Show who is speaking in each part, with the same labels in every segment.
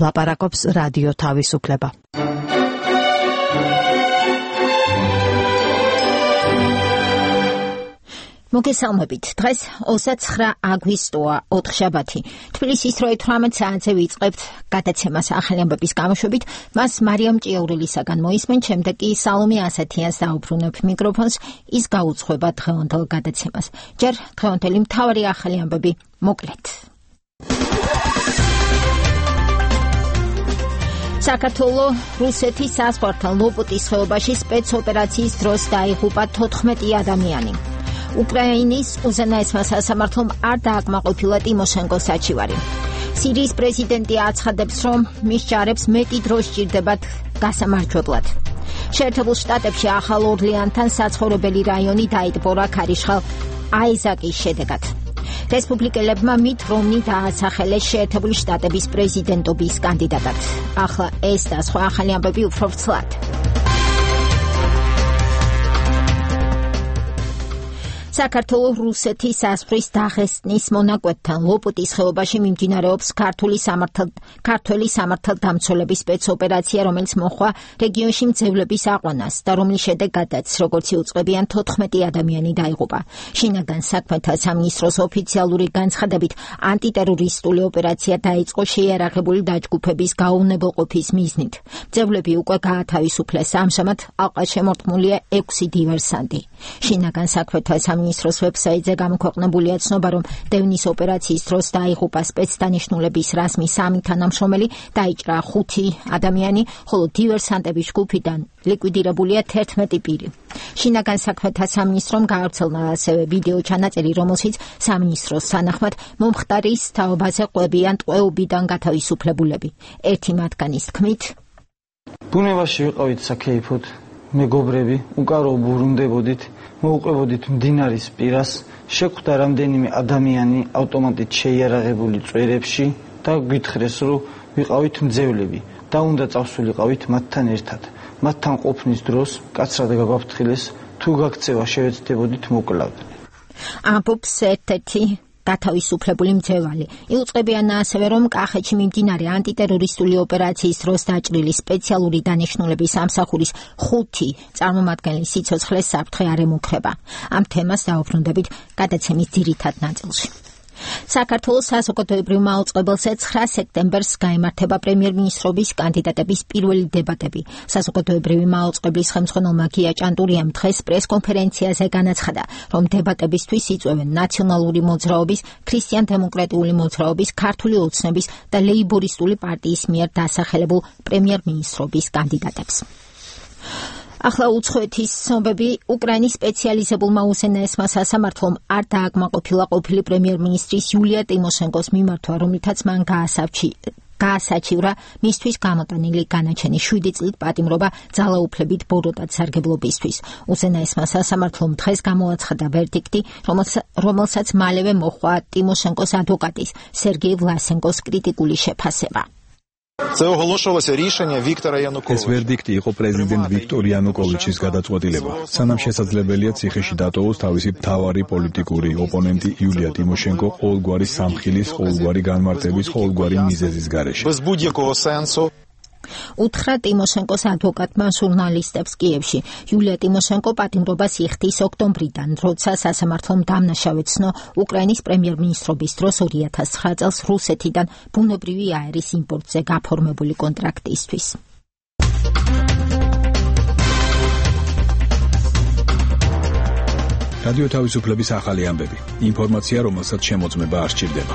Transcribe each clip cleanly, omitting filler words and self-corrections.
Speaker 1: ლაპარაკობს რადიო თავისუფლება. მოგესალმებით. დღეს 29 აგვისტოა, ოთხშაბათი. თბილისის 18 საათზე ვიწყებთ გადაცემას ახალი ამბების გამოშვებით. მას მარიამ ჭიაურელისაგან მოისმენ, შემდეგ კი სალომე ასათიანს დაუბრუნებ მიკროფონს, ის გაუძღვება დღევანდელ გადაცემას. ჯერ დღევანდელი მთავარი ახალი ამბები მოკლედ. საქართველოს რუსეთის საზღვართან ლოპოტის ხეობაში სპეცოპერაციის დროს დაიღუპა 14 ადამიანი. უკრაინის უზენაესმა სასამართლომ არ დააკმაყოფილა ტიმოშენკოს საჩივარი. სირიის პრეზიდენტი აცხადებს, რომ მის ჯარებს მეტი დრო სჭირდებათ გასამარჯვებლად. შეერთებულ შტატებში ახალ ორლეანთან საცხოვრებელი რაიონი დაიტბორა ქარიშხალ აიზაკის შედეგად. რესპუბლიკელებმა მით რომნი დაასახელეს შეერთებული შტატების პრეზიდენტობის კანდიდატად. ახლა ეს და სხვა ახალი ამბები უფრო ვრცლად. საქართველოს რუსეთის საზღვრის დაღესტნის მონაკვეთთან ლოპოტის ხეობაში მიმდინარეობს ქართველი სამართალდამცველების სპეცოპერაცია, რომელიც მოჰყვა რეგიონში მძევლების აყვანას და რომლის შედეგადაც, როგორც იუწყებიან, 14 ადამიანი დაიღუპა. შინაგან საქმეთა სამინისტროს ოფიციალური განცხადებით, ანტიტერორისტული ოპერაცია დაიწყო შეიარაღებული დაჯგუფების გაუვნებელყოფის მიზნით. მძევლები უკვე გაათავისუფლეს, ამჟამად ალყას შემორტყმულია 6 დივერსანტი. შინაგან საქმეთა სამინისტროს ვებსაიტზე გამოქვეყნებულია ცნობა, რომ დევნის ოპერაციის დროს დაიღუპა სპეცდანიშნულების რაზმის 3 თანამშრომელი, დაიჭრა 5 ადამიანი, ხოლო დივერსანტების ჯგუფიდან ლიკვიდირებულია 11 პირი. შინაგან საქმეთა სამინისტრომ გაავრცელა ასევე ვიდეო ჩანაწერი, რომელშიც სამინისტროს თანახმად მომხდარის თაობაზე ყვებიან ტყვეობიდან გათავისუფლებულები. ერთი მათგანის თქმით,
Speaker 2: ბუნებაში ვიყავით საქეიფოდ, მეგობრები, უკარო ბრუნდებოდით, მოუყვებოდით მდინარის პირას, შეხვდა რამდენიმე ადამიანი ავტომატით შეიარაღებული წვერებში და გითხრეს, რომ ვიყავით მძევლები და უნდა წავსულიყავით მათთან ერთად. მათთან ყოფნის დროს კაცრად გაგვაფრთხილეს, თუ გაქცევა შევეცდებოდით მოკლავთ.
Speaker 1: ამბობს ერთ-ერთი გათავისუფლებული მძევალი. იუწყებიან ასევე, რომ კახეთში მიმდინარე ანტიტერორისტული ოპერაციის დროს დაჭრილი სპეციალური დანიშნულების სამსახურის 5 წარმომადგენლის სიცოცხლეს საფრთხე არ ემუქრება. ამ თემას დაუბრუნდებით გადაცემის ძირითად ნაწილში. საქართველოს საზოგადოებრივ მაუწყებელზე 9 სექტემბერს გაიმართება პრემიერ-მინისტრობის კანდიდატების პირველი დებატები. საზოგადოებრივი მაუწყებლის ხელმძღვანელმა გია ჭანტურიამ დღეს პრესკონფერენციაზე განაცხადა, რომ დებატებისთვის იწვევენ ნაციონალური მოძრაობის, ქრისტიან-დემოკრატიული მოძრაობის, ქართული ოცნების და ლეიბორისტული პარტიის მიერ დასახელებულ პრემიერ-მინისტრობის კანდიდატებს. ახლა უცხოეთის ცნობები. უკრაინის სპეციალიზებულმა უზენაესმა სასამართლომ არ დააკმაყოფილა ყოფილი პრემიერ-მინისტრის იულია ტიმოშენკოს მიმართვა, რომლითაც მან გაასაჩივრა მისთვის გამოტანილი განაჩენი 7 წლით პატიმრობა ძალაუფლებით ბოროტად სარგებლობისთვის. უზენაესმა სასამართლომ დღეს გამოაცხადა ვერდიქტი, რომელსაც მალევე მოჰყვა ტიმოშენკოს ადვოკატის სერგეი ვლასენკოს კრიტიკული შეფასება.
Speaker 3: ეს ვერდიქტი იყო პრეზიდენტ ვიქტორ იანუკოვიჩის გადაწყვეტილება. სანამ შესაძლებელია ციხეში დატოვოს თავისი მთავარი პოლიტიკური ოპონენტი იულია ტიმოშენკო ყოველგვარი სამხილის, ყოველგვარი განმარტების, ყოველგვარი მიზეზის გარეშე.
Speaker 1: უთხრა ტიმოშენკოს ადვოკატმა ჟურნალისტებს კიევში. იულია ტიმოშენკო პატიმრობას იხდის ოქტომბრიდან, როცა სასამართლომ დამნაშავეცნო უკრაინის პრემიერ-მინისტრობის დროს 2009 წელს რუსეთიდან ბუნებრივი აერის იმპორტზე გაფორმებული კონტრაქტისთვის.
Speaker 3: რადიო თავისუფლების ახალი ამბები. ინფორმაცია, რომელსაც შემოწმება არ სჭირდება.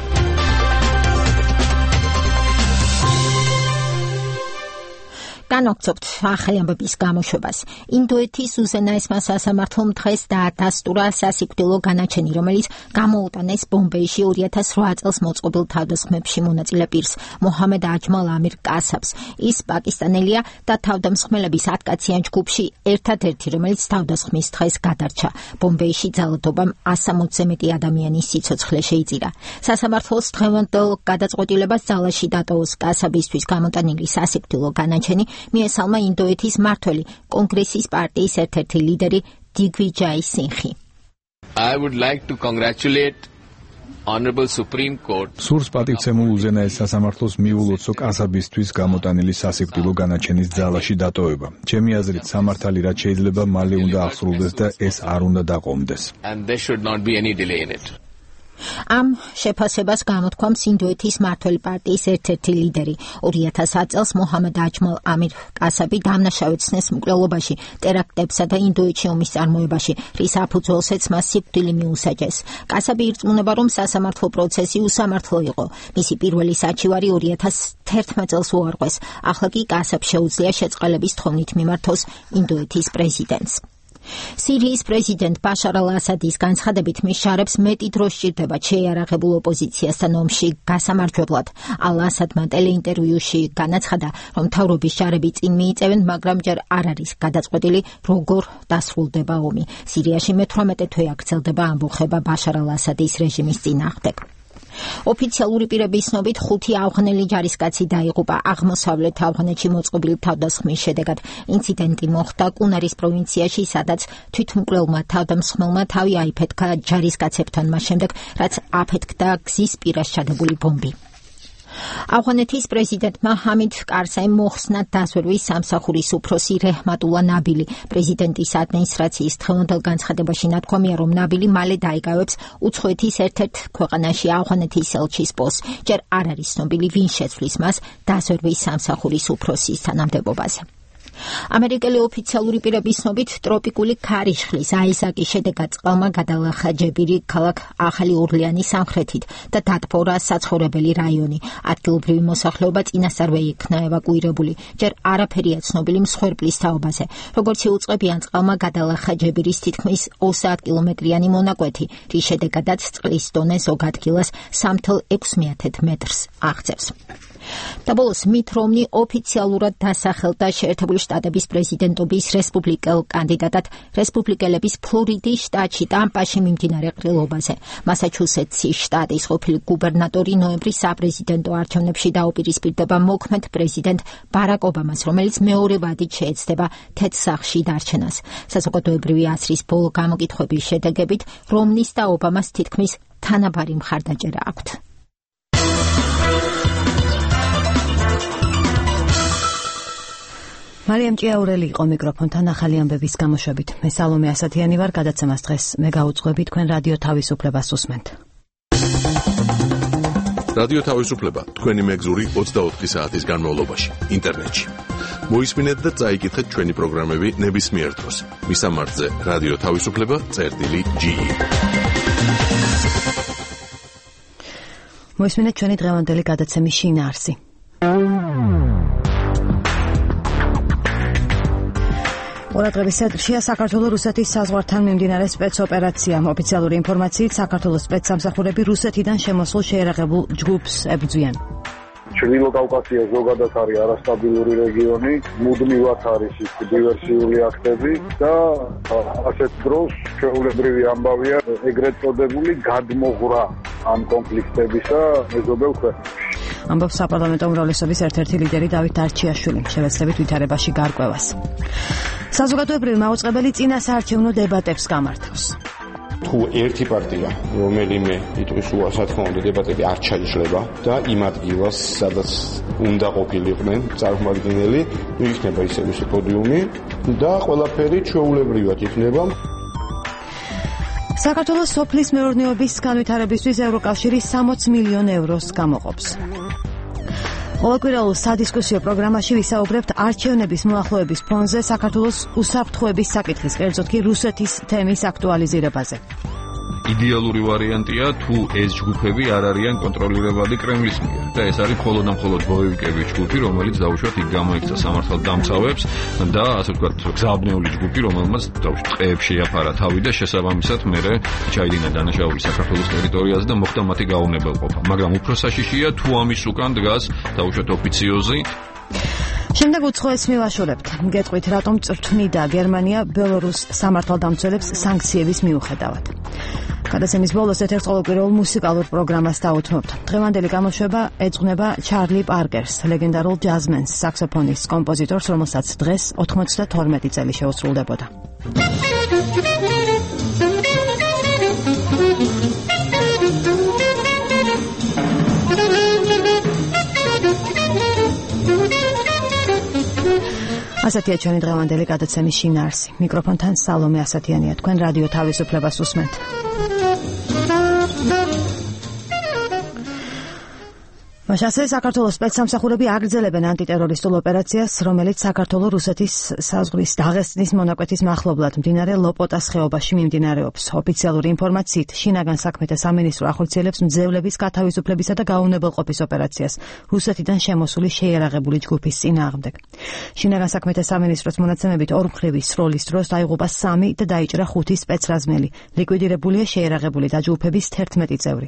Speaker 1: განვაგრძობთ ახალი ამბების გამოშვებას. ინდოეთის უზენაესმა სასამართლომ დღეს დაადასტურა სასიკვდილო განაჩენი, რომელიც გამოუტანეს ბომბეიში 2008 წელს მოწყობილ თავდასხმებში მონაწილე პირს, მოჰამედ აჯმალ ამირ კასაბს. ის პაკისტანელია და თავდამსხმელების 10 კაციან ჯგუფში ერთადერთი, რომელიც თავდასხმის დღეს გადარჩა. ბომბეიში ძალადობამ 160-ზე მეტი ადამიანის სიცოცხლე შეიწირა. სასამართლოს დღევანდელ გადაწყვეტილებას ძალაში დატოვოს კასაბისთვის გამოტანილი სასიკვდილო განაჩენი მიესალმა ინდოეთის მმართველი კონგრესის პარტიის ერთ-ერთი ლიდერი დიგვიჯაი სინხი.
Speaker 4: I would like to congratulate Honorable Supreme Court
Speaker 3: სურს პატივცემულ უზენაეს სასამართლოს მიულოცო კასაბისთვის გამოტანილი სასიკვდილო განაჩენის ძალაში დატოვება. ჩემი აზრით, სამართალი რაც შეიძლება მალე უნდა აღსრულდეს და ეს არ უნდა დაყომდეს.
Speaker 4: and there should not be any delay in it.
Speaker 1: ამ შეფასებას გამოთქვამს ინდოეთის მმართველი პარტიის ერთ-ერთი ლიდერი. 2000 წელს მოჰამედ აჯმალ ამირ კასაბი დამნაშავედ ცნეს მკვლელობაში, ტერაქტებსა და ინდოეთში ომის წარმოებაში, რის საფუძველზეც მას სიკვდილი მიუსაჯეს. კასაბი ირწმუნება, რომ სასამართლო პროცესი უსამართლო იყო. მისი პირველი საჩივარი 2011 წელს უარყვეს. ახლა კი კასაბს შეუძლია შეწყალების თხოვნით მიმართოს ინდოეთის პრეზიდენტს. სირიის პრეზიდენტ ბაშარ ალ-ასადის განცხადებით მის შარებს მეტი დრო სჭირდება შეიარაღებულ ოპოზიციასთან ომში გასამარჯვებლად. ალ-ასადმა ტელეინტერვიუში განაცხადა, რომ მთავრობის შარები წინ მიიწევენ, მაგრამ ჯერ არ არის გადაწყვეტილი, როგორ დასრულდება ომი. სირიაში მე-18 თვე აგრძელდება ამბოხება ბაშარ ალ-ასადის რეჟიმის წინააღმდეგ. ოფიციალური პირების ცნობით 5 ავღანელი ჯარისკაცი დაიღუპა აღმოსავლეთ ავღანეთში მოწყობილი თავდასხმის შედეგად. ინციდენტი მოხდა კუნარის პროვინციაში, სადაც თვითმკვლელმა თავდამსხმელმა თავი აიფეთქა ჯარისკაცებთან მას შემდეგ, რაც აფეთქდა გზის პირას ჩადებული ბომბი. ავღანეთის პრეზიდენტმა ჰამიდ კარსაიმ მოხსნა დაზვერვის სამსახურის უფროსი რეჰმატულა ნაბილი. პრეზიდენტის ადმინისტრაციის დღევანდელ განცხადებაში ნათქვამია, რომ ნაბილი მალე დაიკავებს უცხოეთის ერთ-ერთ ქვეყანაში ავღანეთის ელჩის პოსტს. ჯერ არ არის ცნობილი, ვინ შეცვლის მას დაზვერვის სამსახურის უფროსის თანამდებობაზე. ამერიკელი ოფიციალური პირების ცნობით ტროპიკული ქარიშხლის აიზაკის შედეგად წყალმა გადალახა ჯებირი ქალაქ ახალი ორლეანის სამხრეთით და დატბორა საცხოვრებელი რაიონი. ადგილობრივი მოსახლეობა წინასწარვე იქნა ევაკუირებული. ჯერ არაფერია ცნობილი მსხვერპლის თაობაზე. როგორც იუწყებიან, წყალმა გადალახა ჯებირის თითქმის 30 კილომეტრიანი მონაკვეთი, რის შედეგადაც წყლის დონე ზოგ ადგილას 3,6 მეტრს აღწევს. და ბოლოს მით რომნი ოფიციალურად დასახელდა შეერთებული შტატების პრეზიდენტობის რესპუბლიკელ კანდიდატად რესპუბლიკელების ფლორიდის შტატში ტამპაში მიმდინარე ყრილობაზე. მასაჩუსეტსის შტატის ყოფილი გუბერნატორი ნოემბრის საპრეზიდენტო არჩევნებში დაუპირისპირდება მოქმედ პრეზიდენტ ბარაკ ობამას, რომელიც მეორე ვადით შეეცდება თეთრ სახლში დარჩენას. საზოგადოებრივი აზრის ბოლო გამოკითხვების შედეგებით რომნის და ობამას თითქმის თანაბარი მხარდაჭერა აქვთ.
Speaker 5: მარიამ ჭიაურელი იყო მიკროფონთან ახალი ამბების გამოშვებით. მე სალომე ასათიანი ვარ, გადაცემას დღეს მე გაუძღვები, თქვენ რადიო თავისუფლებას უსმენთ.
Speaker 6: რადიო თავისუფლება თქვენი მეგზური 24 საათის განმავლობაში ინტერნეტში. მოისმინეთ და წაიკითხეთ ჩვენი პროგრამები ნებისმიერ დროს. მისამართზე რადიო თავისუფლება.ge.
Speaker 5: მოისმინეთ ჩვენი დღევანდელი გადაცემის შინაარსი. ყურადღების ცენტრშია საქართველო-რუსეთის საზღვართან მიმდინარე სპეცოპერაცია. ოფიციალური ინფორმაციით, საქართველოს სპეცსამსახურები რუსეთიდან შემოსულ შეიარაღებულ ჯგუფს ებრძვიან.
Speaker 7: ჩრდილო კავკასია ზოგადად არის არასტაბილური რეგიონი, მუდმივად არის ის დივერსიული აქტები და ასეთ დროს ჩვეულებრივი ამბავია ეგრეთ წოდებული გადმოღრა ამ კონფლიქტებისა მეზობელ ქვეყნებში.
Speaker 5: ამბობს საპარლამენტო უმრავლესობის ერთ-ერთი ლიდერი დავით არჩიაშვილი, შევეცდებით ვითარებაში გარკვევას. საზოგადოებრივი მაუწყებელი წინასაარჩევნო დებატებს გამართავს.
Speaker 8: თუ ერთი პარტია, რომელიმე იტყვის უარს, რა თქმა უნდა, დებატები არ ჩაიშლება და იმ ადგილას, სადაც უნდა ყოფილიყვნენ წარმომადგენელი, იქნება ისე პოდიუმი და ყველაფერი ჩვეულებრივად იქნება.
Speaker 5: საქართველოს სოფლის მეურნეობის განვითარებისთვის ევროკავშირი 60 მილიონ ევროს გამოყოფს. ყოველკვირეულ სადისკუსიო პროგრამაში ვისაუბრებთ არჩევნების მოახლოების ფონზე საქართველოს უსაფრთხოების საკითხის, კერძოდ კი რუსეთის თემის აქტუალიზირებაზე.
Speaker 9: იდეალური ვარიანტია, თუ ეს ჯგუფები არ არიან კონტროლირებადი კრემლის მიერ და ეს არის მხოლოდ და მხოლოდ ბოევიკების ჯგუფი, რომელიც დაუშვათ იქ გამოიქცა სამართალდამცავებს და ასე ვთქვათ გზააბნეული ჯგუფი, რომელმაც დაუშვათ ტყეებში შეაფარა თავი და შესაბამისად მერე ჩაიდინა დანაშაული საქართველოს ტერიტორიაზე და მოხდა მათი გაუნებელყოფა. მაგრამ უფრო საშიშია, თუ ამის უკან დგას დაუშვათ ოფიციოზი.
Speaker 5: შემდეგ უცხოეთს მივაშორებთ. გეტყვით, რატომ წვრთნიდა გერმანია ბელორუს სამართალდამცველებს სანქციების მიუხედავად. გადაცემის ბოლოს ერთ-ერთ ყოველკვირეულ მუსიკალურ პროგრამას დაუთმობთ. დღევანდელი გამოშვება ეძღვნება ჩარლი პარკერს, ლეგენდარულ ჯაზმენს, საქსოფონის კომპოზიტორს, რომელსაც დღეს 92 წელი შეუსრულდებოდა. ასეთია ჩვენი დღევანდელი გადაცემის შინაარსი. მიკროფონთან სალომე ასათიანია. თქვენ რადიო თავისუფლებას უსმენთ. მასე საქართველოს სპეცსამსახურები აგრძელებენ ანტიტერორისტულ ოპერაციას, რომელიც საქართველოს რუსეთის საზღვრის დაღესტნის მონაკვეთის მახლობლად მდინარე ლოპოტას ხეობაში მიმდინარეობს. ოფიციალური ინფორმაციით, შინაგან საქმეთა სამინისტრო ახორციელებს მძევლების გათავისუფლებისა და გაუნებელყოფის ოპერაციას რუსეთიდან შემოსული შეიარაღებული ჯგუფის წინააღმდეგ. შინაგან საქმეთა სამინისტროს მონაცემებით ორმხრივი სროლის დროს დაიღუპა 3 და დაიჭრა 5 სპეცრაზმელი. ლიკვიდირებულია შეიარაღებული დაჯგუფების 11 წევრი.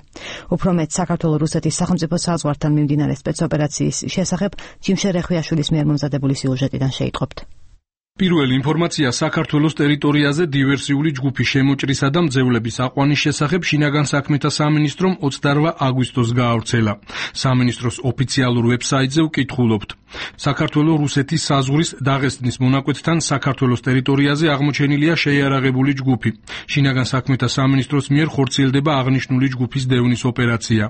Speaker 5: უფრო მეტ, საქართველოს რუსეთის სახელმწიფო საზღვართან მიმდინარე სპეცოპერაციის შესახებ ჯიმშე რეხვიაშვილის მიერ მომზადებული სიუჟეტიდან შეიტყობთ.
Speaker 10: პირველი ინფორმაცია საქართველოს ტერიტორიაზე დივერსიული ჯგუფის შემოჭრისა და მძევლების აყვანის შესახებ შინაგან საქმეთა სამინისტრომ 28 აგვისტოს გაავრცელა. სამინისტროს ოფიციალურ ვებსაიტზე ვკითხულობთ. საქართველოს რუსეთის საზღვრის დაღესტნის მონაკვეთთან საქართველოს ტერიტორიაზე აღმოჩენილია შეიარაღებული ჯგუფი. შინაგან საქმეთა სამინისტროს მიერ ხორციელდება აღნიშნული ჯგუფის დევნის ოპერაცია.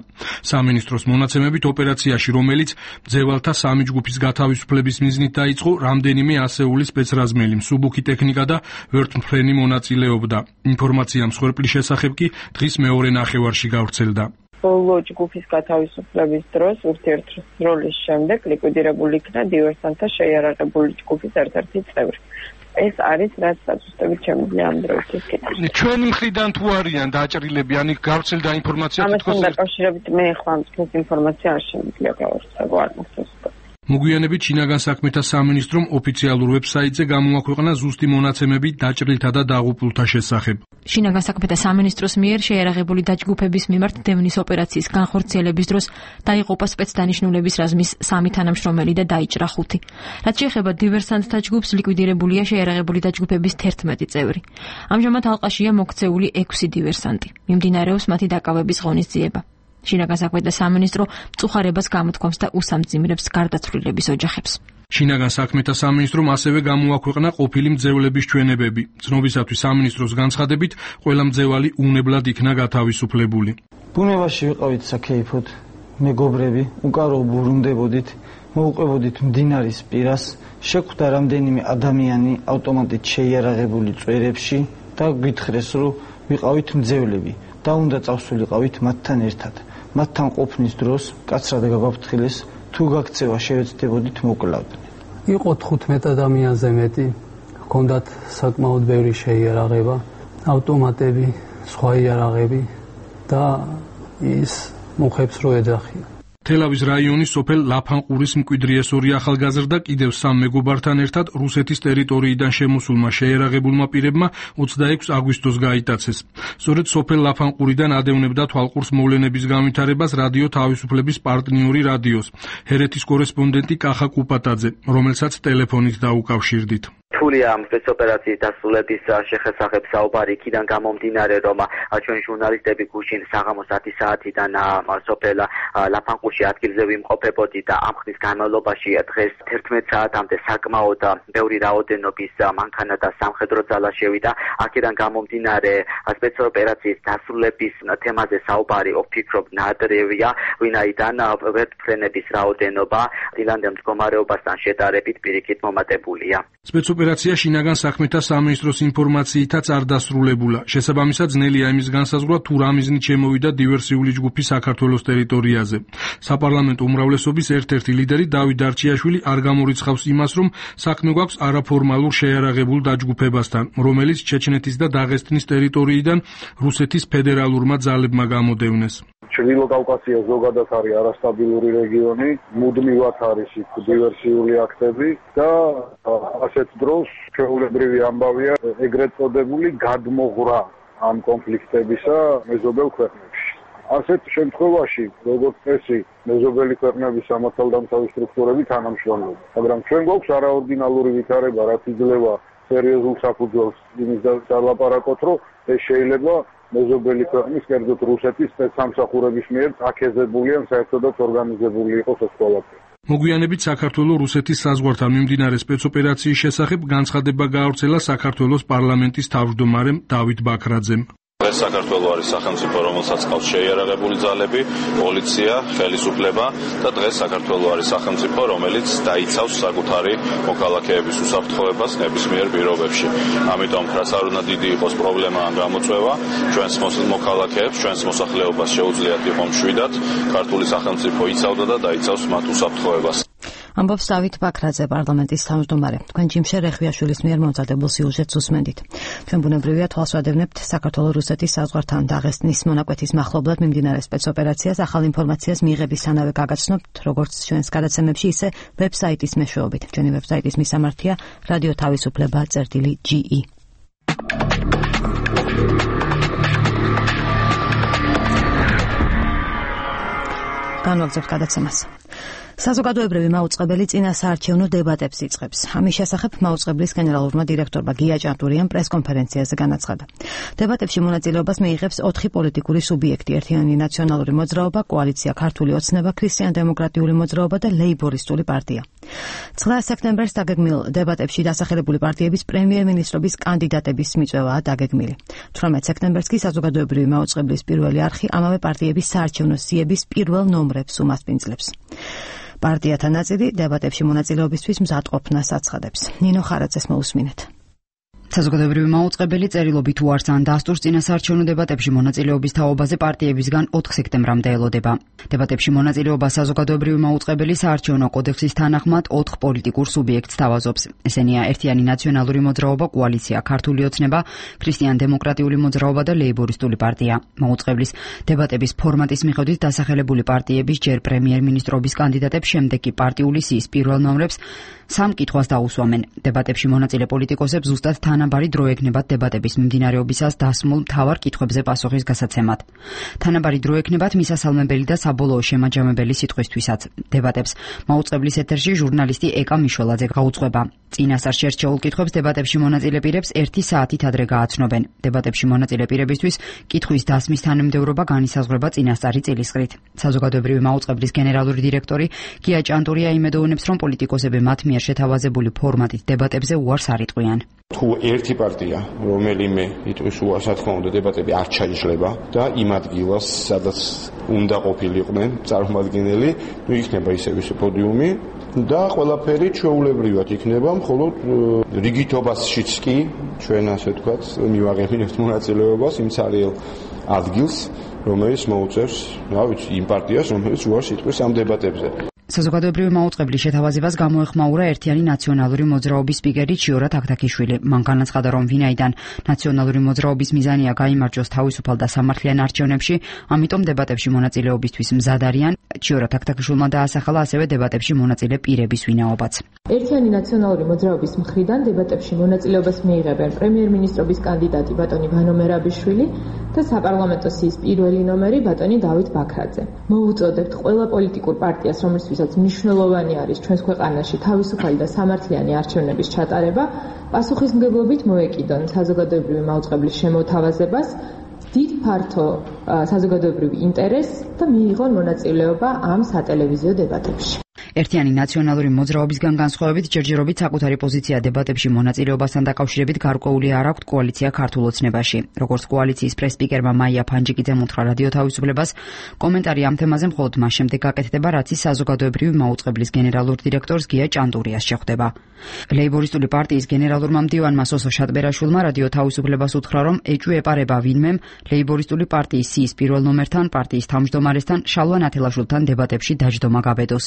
Speaker 10: სამინისტროს მონაცემებით ოპერაციაში, რომელიც მძევალთა 3 ჯგუფის გათავისუფლების მიზნით დაიწყო, რამდენიმე ასეული სპეცრაზმელი, მსუბუქი ტექნიკა და ვერტმფრენი მონაწილეობდა. ინფორმაცია მსხვერპლის შესახებ კი დღის მეორე ნახევარში გავრცელდა.
Speaker 11: ბოლო ჯგუფის გათავისუფლების დროს ურთიერთდროლის შემდეგ ლიკვიდირებული იქნა დივერსანტთა შეიარაღებული ჯგუფის ერთ-ერთი წევრი. ეს არის რაც დაწესდებით შემიძლია ამ დროისთვის კითხვის.
Speaker 10: ჩვენი მხრიდან თუ არიან დაჭრილები, ან იქ გავრცელდა ინფორმაცია
Speaker 11: ამასთან დაკავშირებით მე ახლა ამ ინფორმაცია არ შემიძლია გავარცხებო არ მოსწონს.
Speaker 10: მოგვიანებით შინაგან საქმეთა სამინისტრომ ოფიციალურ ვებსაიტზე გამოაქვეყნა ზუსტი მონაცემები დაჭრილთა და დაღუპულთა შესახებ.
Speaker 12: შინაგან საქმეთა სამინისტროს მიერ შეიარაღებული დაჯგუფების მიმართ დევნის ოპერაციის განხორციელების დროს დაიღუპა სპეცდანიშნულების რაზმის 3 თანამშრომელი და დაიჭრა 5. რაც შეეხება დივერსანტთა ჯგუფს, ლიკვიდირებულია შეიარაღებული დაჯგუფების 11 წევრი. ამჟამად ალყაშია მოქცეული 6 დივერსანტი. მიმდინარეობს მათი დაკავების ღონისძიება. შინაგან საქმეთა სამინისტრო მწუხარებას გამოთქვამს და უსამძიმრებს გარდაცვლილების ოჯახებს.
Speaker 10: შინაგან საქმეთა სამინისტრომ ასევე გამოაქვეყნა ყოფილი მძევლების ჩვენებები. ცნობისათვის სამინისტროს განცხადებით, ყველა მძევალი უნებლად იქნა გათავისუფლებული.
Speaker 2: ბუნებაში ვიყავით საქეიფოდ, მეგობრები, უკარო ბრუნდებოდით, მოუყვებოდით მდინარის პირას, შეხვდა რამდენიმე ადამიანი ავტომატით შეიარაღებული წვერებში და გითხრეს, რომ ვიყავით მძევლები და უნდა წავსულიყავით მათთან ერთად. მათთან ყოფნის დროს კაცრად გაგვაფრთხილეს, თუ გაქცევა შევეცდებოდით მოკლავდნენ.
Speaker 13: იყო 15 ადამიანზე მეტი, ჰქონდათ საკმაოდ ბევრი შეიარაღება, ავტომატები, სხვა იარაღები და ის მოხებს რო ეძახიან.
Speaker 10: თელავის რაიონის სოფელ ლაფანყურის მკვიდრიეს 2 ახალგაზრდა კიდევ 3 მეგობართან ერთად რუსეთის ტერიტორიიდან შემოსულმა შეიარაღებულმა პირებმა 26 აგვისტოს გაიტაცეს. სწორედ სოფელ ლაფანყურიდან ადევნებდა თვალყურს მოვლენების განვითარებას რადიო თავისუფლების პარტნიორი რადიოს, ჰერეთის კორესპონდენტი კახა კუპატაძე, რომელსაც ტელეფონით დაუკავშირდით.
Speaker 14: რთულია ამ სპეცოპერაციის დასრულების შესახებ საუბარი, იქიდან გამომდინარე, რომ ჩვენი ჟურნალისტები გუშინ საღამოს 10 საათიდან სოფელ ლაფანყურში ადგილზე ვიმყოფებოდი და ამ ხნის განმავლობაში დღეს 11 საათამდე საკმაოდ ბევრი რაოდენობის მანქანა და სამხედრო ძალა შევიდა. აქედან გამომდინარე სპეცოპერაციის დასრულების თემაზე საუბარი ვფიქრობ ნადრევია, ვინაიდან ვერტმფრენების რაოდენობა დილანდელ მდგომარეობასთან შედარებით პირიქით მომატებულია.
Speaker 10: სპეცოპერაცია შინაგან საქმეთა სამინისტროს ინფორმაციითაც არ დასრულებულა. შესაბამისად, ძნელია იმის განსაზღვრა, თუ რა მიზნით შემოვიდა დივერსიული ჯგუფი საქართველოს ტერიტორიაზე. საპარლამენტო უმრავლესობის ერთ-ერთი ლიდერი დავით დარჩიაშვილი არ გამორიცხავს იმას, რომ საქმე გვაქვს არაფორმალურ შეიარაღებულ დაჯგუფებასთან, რომელიც ჩეჩნეთის და დაღესტნის ტერიტორიიდან რუსეთის ფედერალურმა ძალებმა გამოდევნეს.
Speaker 7: ჩრდილო კავკასია ზოგადად არის არასტაბილური რეგიონი, მუდმივად არის იქ დივერსიული აქტები და ასეთ დროს ჩვეულებრივი ამბავია ეგრეთ წოდებული გადმოღრა ამ კონფლიქტებისა მეზობელ ქვეყნებში. ასეთ შემთხვევაში, როგორც წესი, მეზობელი ქვეყნების სამართალდამცავი სტრუქტურები თანამშრომლობენ. მაგრამ ჩვენ გვაქვს არაორდინალური ვითარება, რაც იძლევა სერიოზულ საფუძველს იმის დალაპარაკოთ, რომ ეს შეიძლება მეზობელი ქვეყნის, კერძოდ რუსეთის სპეცსამსახურების მიერ აქეზებული ან საერთოდაც ორგანიზებული იყოს ეს ყველაფერი.
Speaker 10: მოგვიანებით საქართველოს რუსეთის საზღვართან მიმდინარე სპეცოპერაციის შესახებ განცხადება გაავრცელა საქართველოს პარლამენტის თავმჯდომარემ დავით ბაქრაძემ.
Speaker 15: დღეს საქართველოს არის სახელმწიფო, რომელსაც ყავს შეიარაღებული ძალები, პოლიცია, ხელისუფლება და დღეს საქართველოს არის სახელმწიფო, რომელიც დაიცავს საკუთარი მოქალაქეების უსაფრთხოებას ნებისმიერ პირობებში. ამიტომ რაც არ უნდა დიდი იყოს პრობლემა ან გამოწვევა, ჩვენს მოქალაქეებს, ჩვენს მოსახლეობას შეუძლიათ იყო მშვიდად ქართული სახელმწიფო იცავდა და დაიცავს მათ უსაფრთხოებას.
Speaker 5: ამბობს დავით ბაქრაძე, პარლამენტის თავმჯდომარე. თქვენ ჯიმშე რეხვიაშვილის მიერ მომზადებულ სიუჟეტს უსმენდით. ჩვენ ბუნებრივია თვალსვადევნებთ საქართველოს-რუსეთის საზღვართან დაღესტნის მონაკვეთის მახლობლად მიმდინარე სპეცოპერაციას, ახალ ინფორმაციას მიღებისთანავე გაგაცნობთ, როგორც ჩვენს გადაცემებში, ისე ვებსაიტის მეშვეობით. ჩვენი ვებსაიტის მისამართია რადიო თავისუფლება.ge. განვაგრძობთ გადაცემას. საზოგადოებრივი მაუწყებელი წინა საარჩევნო დებატებს იწყებს. ამის შესახებ მაუწყებლის გენერალურმა დირექტორმა გია ჭანტურიამ პრესკონფერენციაზე განაცხადა. დებატებში მონაწილეობას მიიღებს 4 პოლიტიკური სუბიექტი: ერთიანი ნაციონალური მოძრაობა, კოალიცია ქართული ოცნება, ქრისტიან-დემოკრატიული მოძრაობა და ლეიბორისტული პარტია. 9 სექტემბერს დაგეგმილ დებატებში დასახელებული პარტიების პრემიერ-მინისტრობის კანდიდატების მიწვევაა დაგეგმილი. 18 სექტემბერს კი საზოგადოებრივი მაუწყებლის პირველი არხი ამავე პარტიების საარჩევნო სიების პირველ ნომრებს უმასპინძლებს. პარტიათა ნაწილი დებატებში მონაწილეობისთვის მზადყოფნას აცხადებს. ნინო ხარაძეს მოусმინეთ.
Speaker 16: საზოგადოებრივი მაუწყებელი წერილობით უარს ან დასტურს წინასაარჩევნო დებატებში მონაწილეობის თაობაზე პარტიებისგან 4 სექტემბრამდე ელოდება. დებატებში მონაწილეობა საზოგადოებრივი მაუწყებელი საარჩევნო კოდექსის თანახმად 4 პოლიტიკურ სუბიექტს თავაზობს. ესენია ერთიანი ნაციონალური მოძრაობა, კოალიცია ქართული ოცნება, ქრისტიან-დემოკრატიული მოძრაობა და ლეიბორისტული პარტია. მაუწყებლის დებატების ფორმატის მიხედვით დასახელებული პარტიების ჯერ პრემიერ-მინისტრობის კანდიდატებს, შემდეგ კი პარტიული სიის პირველ ნომრებს 3 კითხვას დაუსვამენ. დებატებში მონაწილე პოლიტიკოსებს ზუსტად თანაბარი დრო ექნებათ დებატების მიმდინარეობისას დასმულ მთავარ კითხვებზე პასუხის გასაცემად. თანაბარი დრო ექნებათ მისასალმებელი და საბოლოო შემაჯამებელი სიტყვისთვისაც. დებატებს მაუწყებლის ეთერში ჟურნალისტი ეკა მიშველაძე გაუძღვება. წინასწარ შერჩეულ კითხვებს დებატებში მონაწილე პირებს 1 საათით ადრე გააცნობენ. დებატებში მონაწილე პირებისთვის კითხვის დასმის თანმიმდევრობა განისაზღვრება წინასწარი წილისყრით. საზოგადოებრივი მაუწყებლის გენერალური დირექტორი გია ჭანტურია იმედოვნებს, რომ პოლიტიკოსები მათ მიერ შეთავაზებული ფორმატით დებატებზე უარს არ იტყვიან.
Speaker 8: თუ ერთი პარტია, რომელიმე იტყვის უარს, რა თქმა უნდა, დებატები არ ჩაიშლება და იმ ადგილას, სადაც უნდა ყოფილიყვნენ წარმომადგენელი, იქნება ისევ პოდიუმი და ყველაფერი ჩვეულებრივად იქნება, მხოლოდ რიგითობაშიც კი ჩვენ ასე ვთქვათ, მივაღებინებთ მონაწილეობას იმ ცარიელ ადგილს, რომელიც მოუწევს, რა ვიცი, იმ პარტიას, რომელიც უარს იტყვის ამ დებატებზე.
Speaker 16: საზოგადოებრივი მაუწყებლის შეთავაზებას გამოეხმაურა ერთიანი ნაციონალური მოძრაობის სპიკერი ჩიორა თაქთაქიშვილი. მან განაცხადა, რომ ვინაიდან ნაციონალური მოძრაობის მიზანია გაიმარჯვოს თავისუფალ და სამართლიან არჩევნებში, ამიტომ დებატებში მონაწილეობისთვის მზად არიან. ჩიორა თაქთაქიშვილმა დაასახელა ასევე დებატებში მონაწილე პირების ვინაობაც.
Speaker 17: ერთიანი ნაციონალური მოძრაობის მხრიდან დებატებში მონაწილეობას მიიღებენ პრემიერ-მინისტრობის კანდიდატი ბატონი ვანო მერაბიშვილი და საპარლამენტო სიის პირველი ნომერი ბატონი დავით ბაქრაძე. მოუწოდებთ ყველა პოლიტიკურ პარტიას, რომელთვისაც მნიშვნელოვანი არის ჩვენს ქვეყანაში თავისუფალი და სამართლიანი არჩევნების ჩატარება, პასუხისმგებლობით მოეკიდონ საზოგადოებრივი მაუწყებლის შემოთავაზებას, დიდ ფართო საზოგადოებრივ ინტერესს და მიიღონ მონაწილეობა ამ სატელევიზიო დებატებში.
Speaker 16: ერთიანი ნაციონალური მოძრაობისგან განსხვავებით ჯერჯერობით საკუთარი პოზიცია დებატებში მონაწილეობასთან დაკავშირებით გარკვეული არ აქვთ კოალიცია ქართულ ოცნებაში. როგორც კოალიციის პრეს-სპიკერმა მაია ფანჯიკიძემ უთხრა რადიო თავისუფლებას, კომენტარი ამ თემაზე მხოლოდ მას შემდეგ გაკეთდება, რაც ის საზოგადოებრივი მაუწყებლის გენერალურ დირექტორს გია ჭანტურიას შეხვდება. ლეიბორისტული პარტიის გენერალურმა მდივანმა სოსო შატბერაშვილმა რადიო თავისუფლებას უთხრა, რომ ეჭვი ეპარება ვინმემ ლეიბორისტული პარტიის სიის პირველ ნომერთან, პარტიის თავმჯდომარესთან, შალვა ნათელაშვილთან დებატებში დაჯდომა გაბედოს.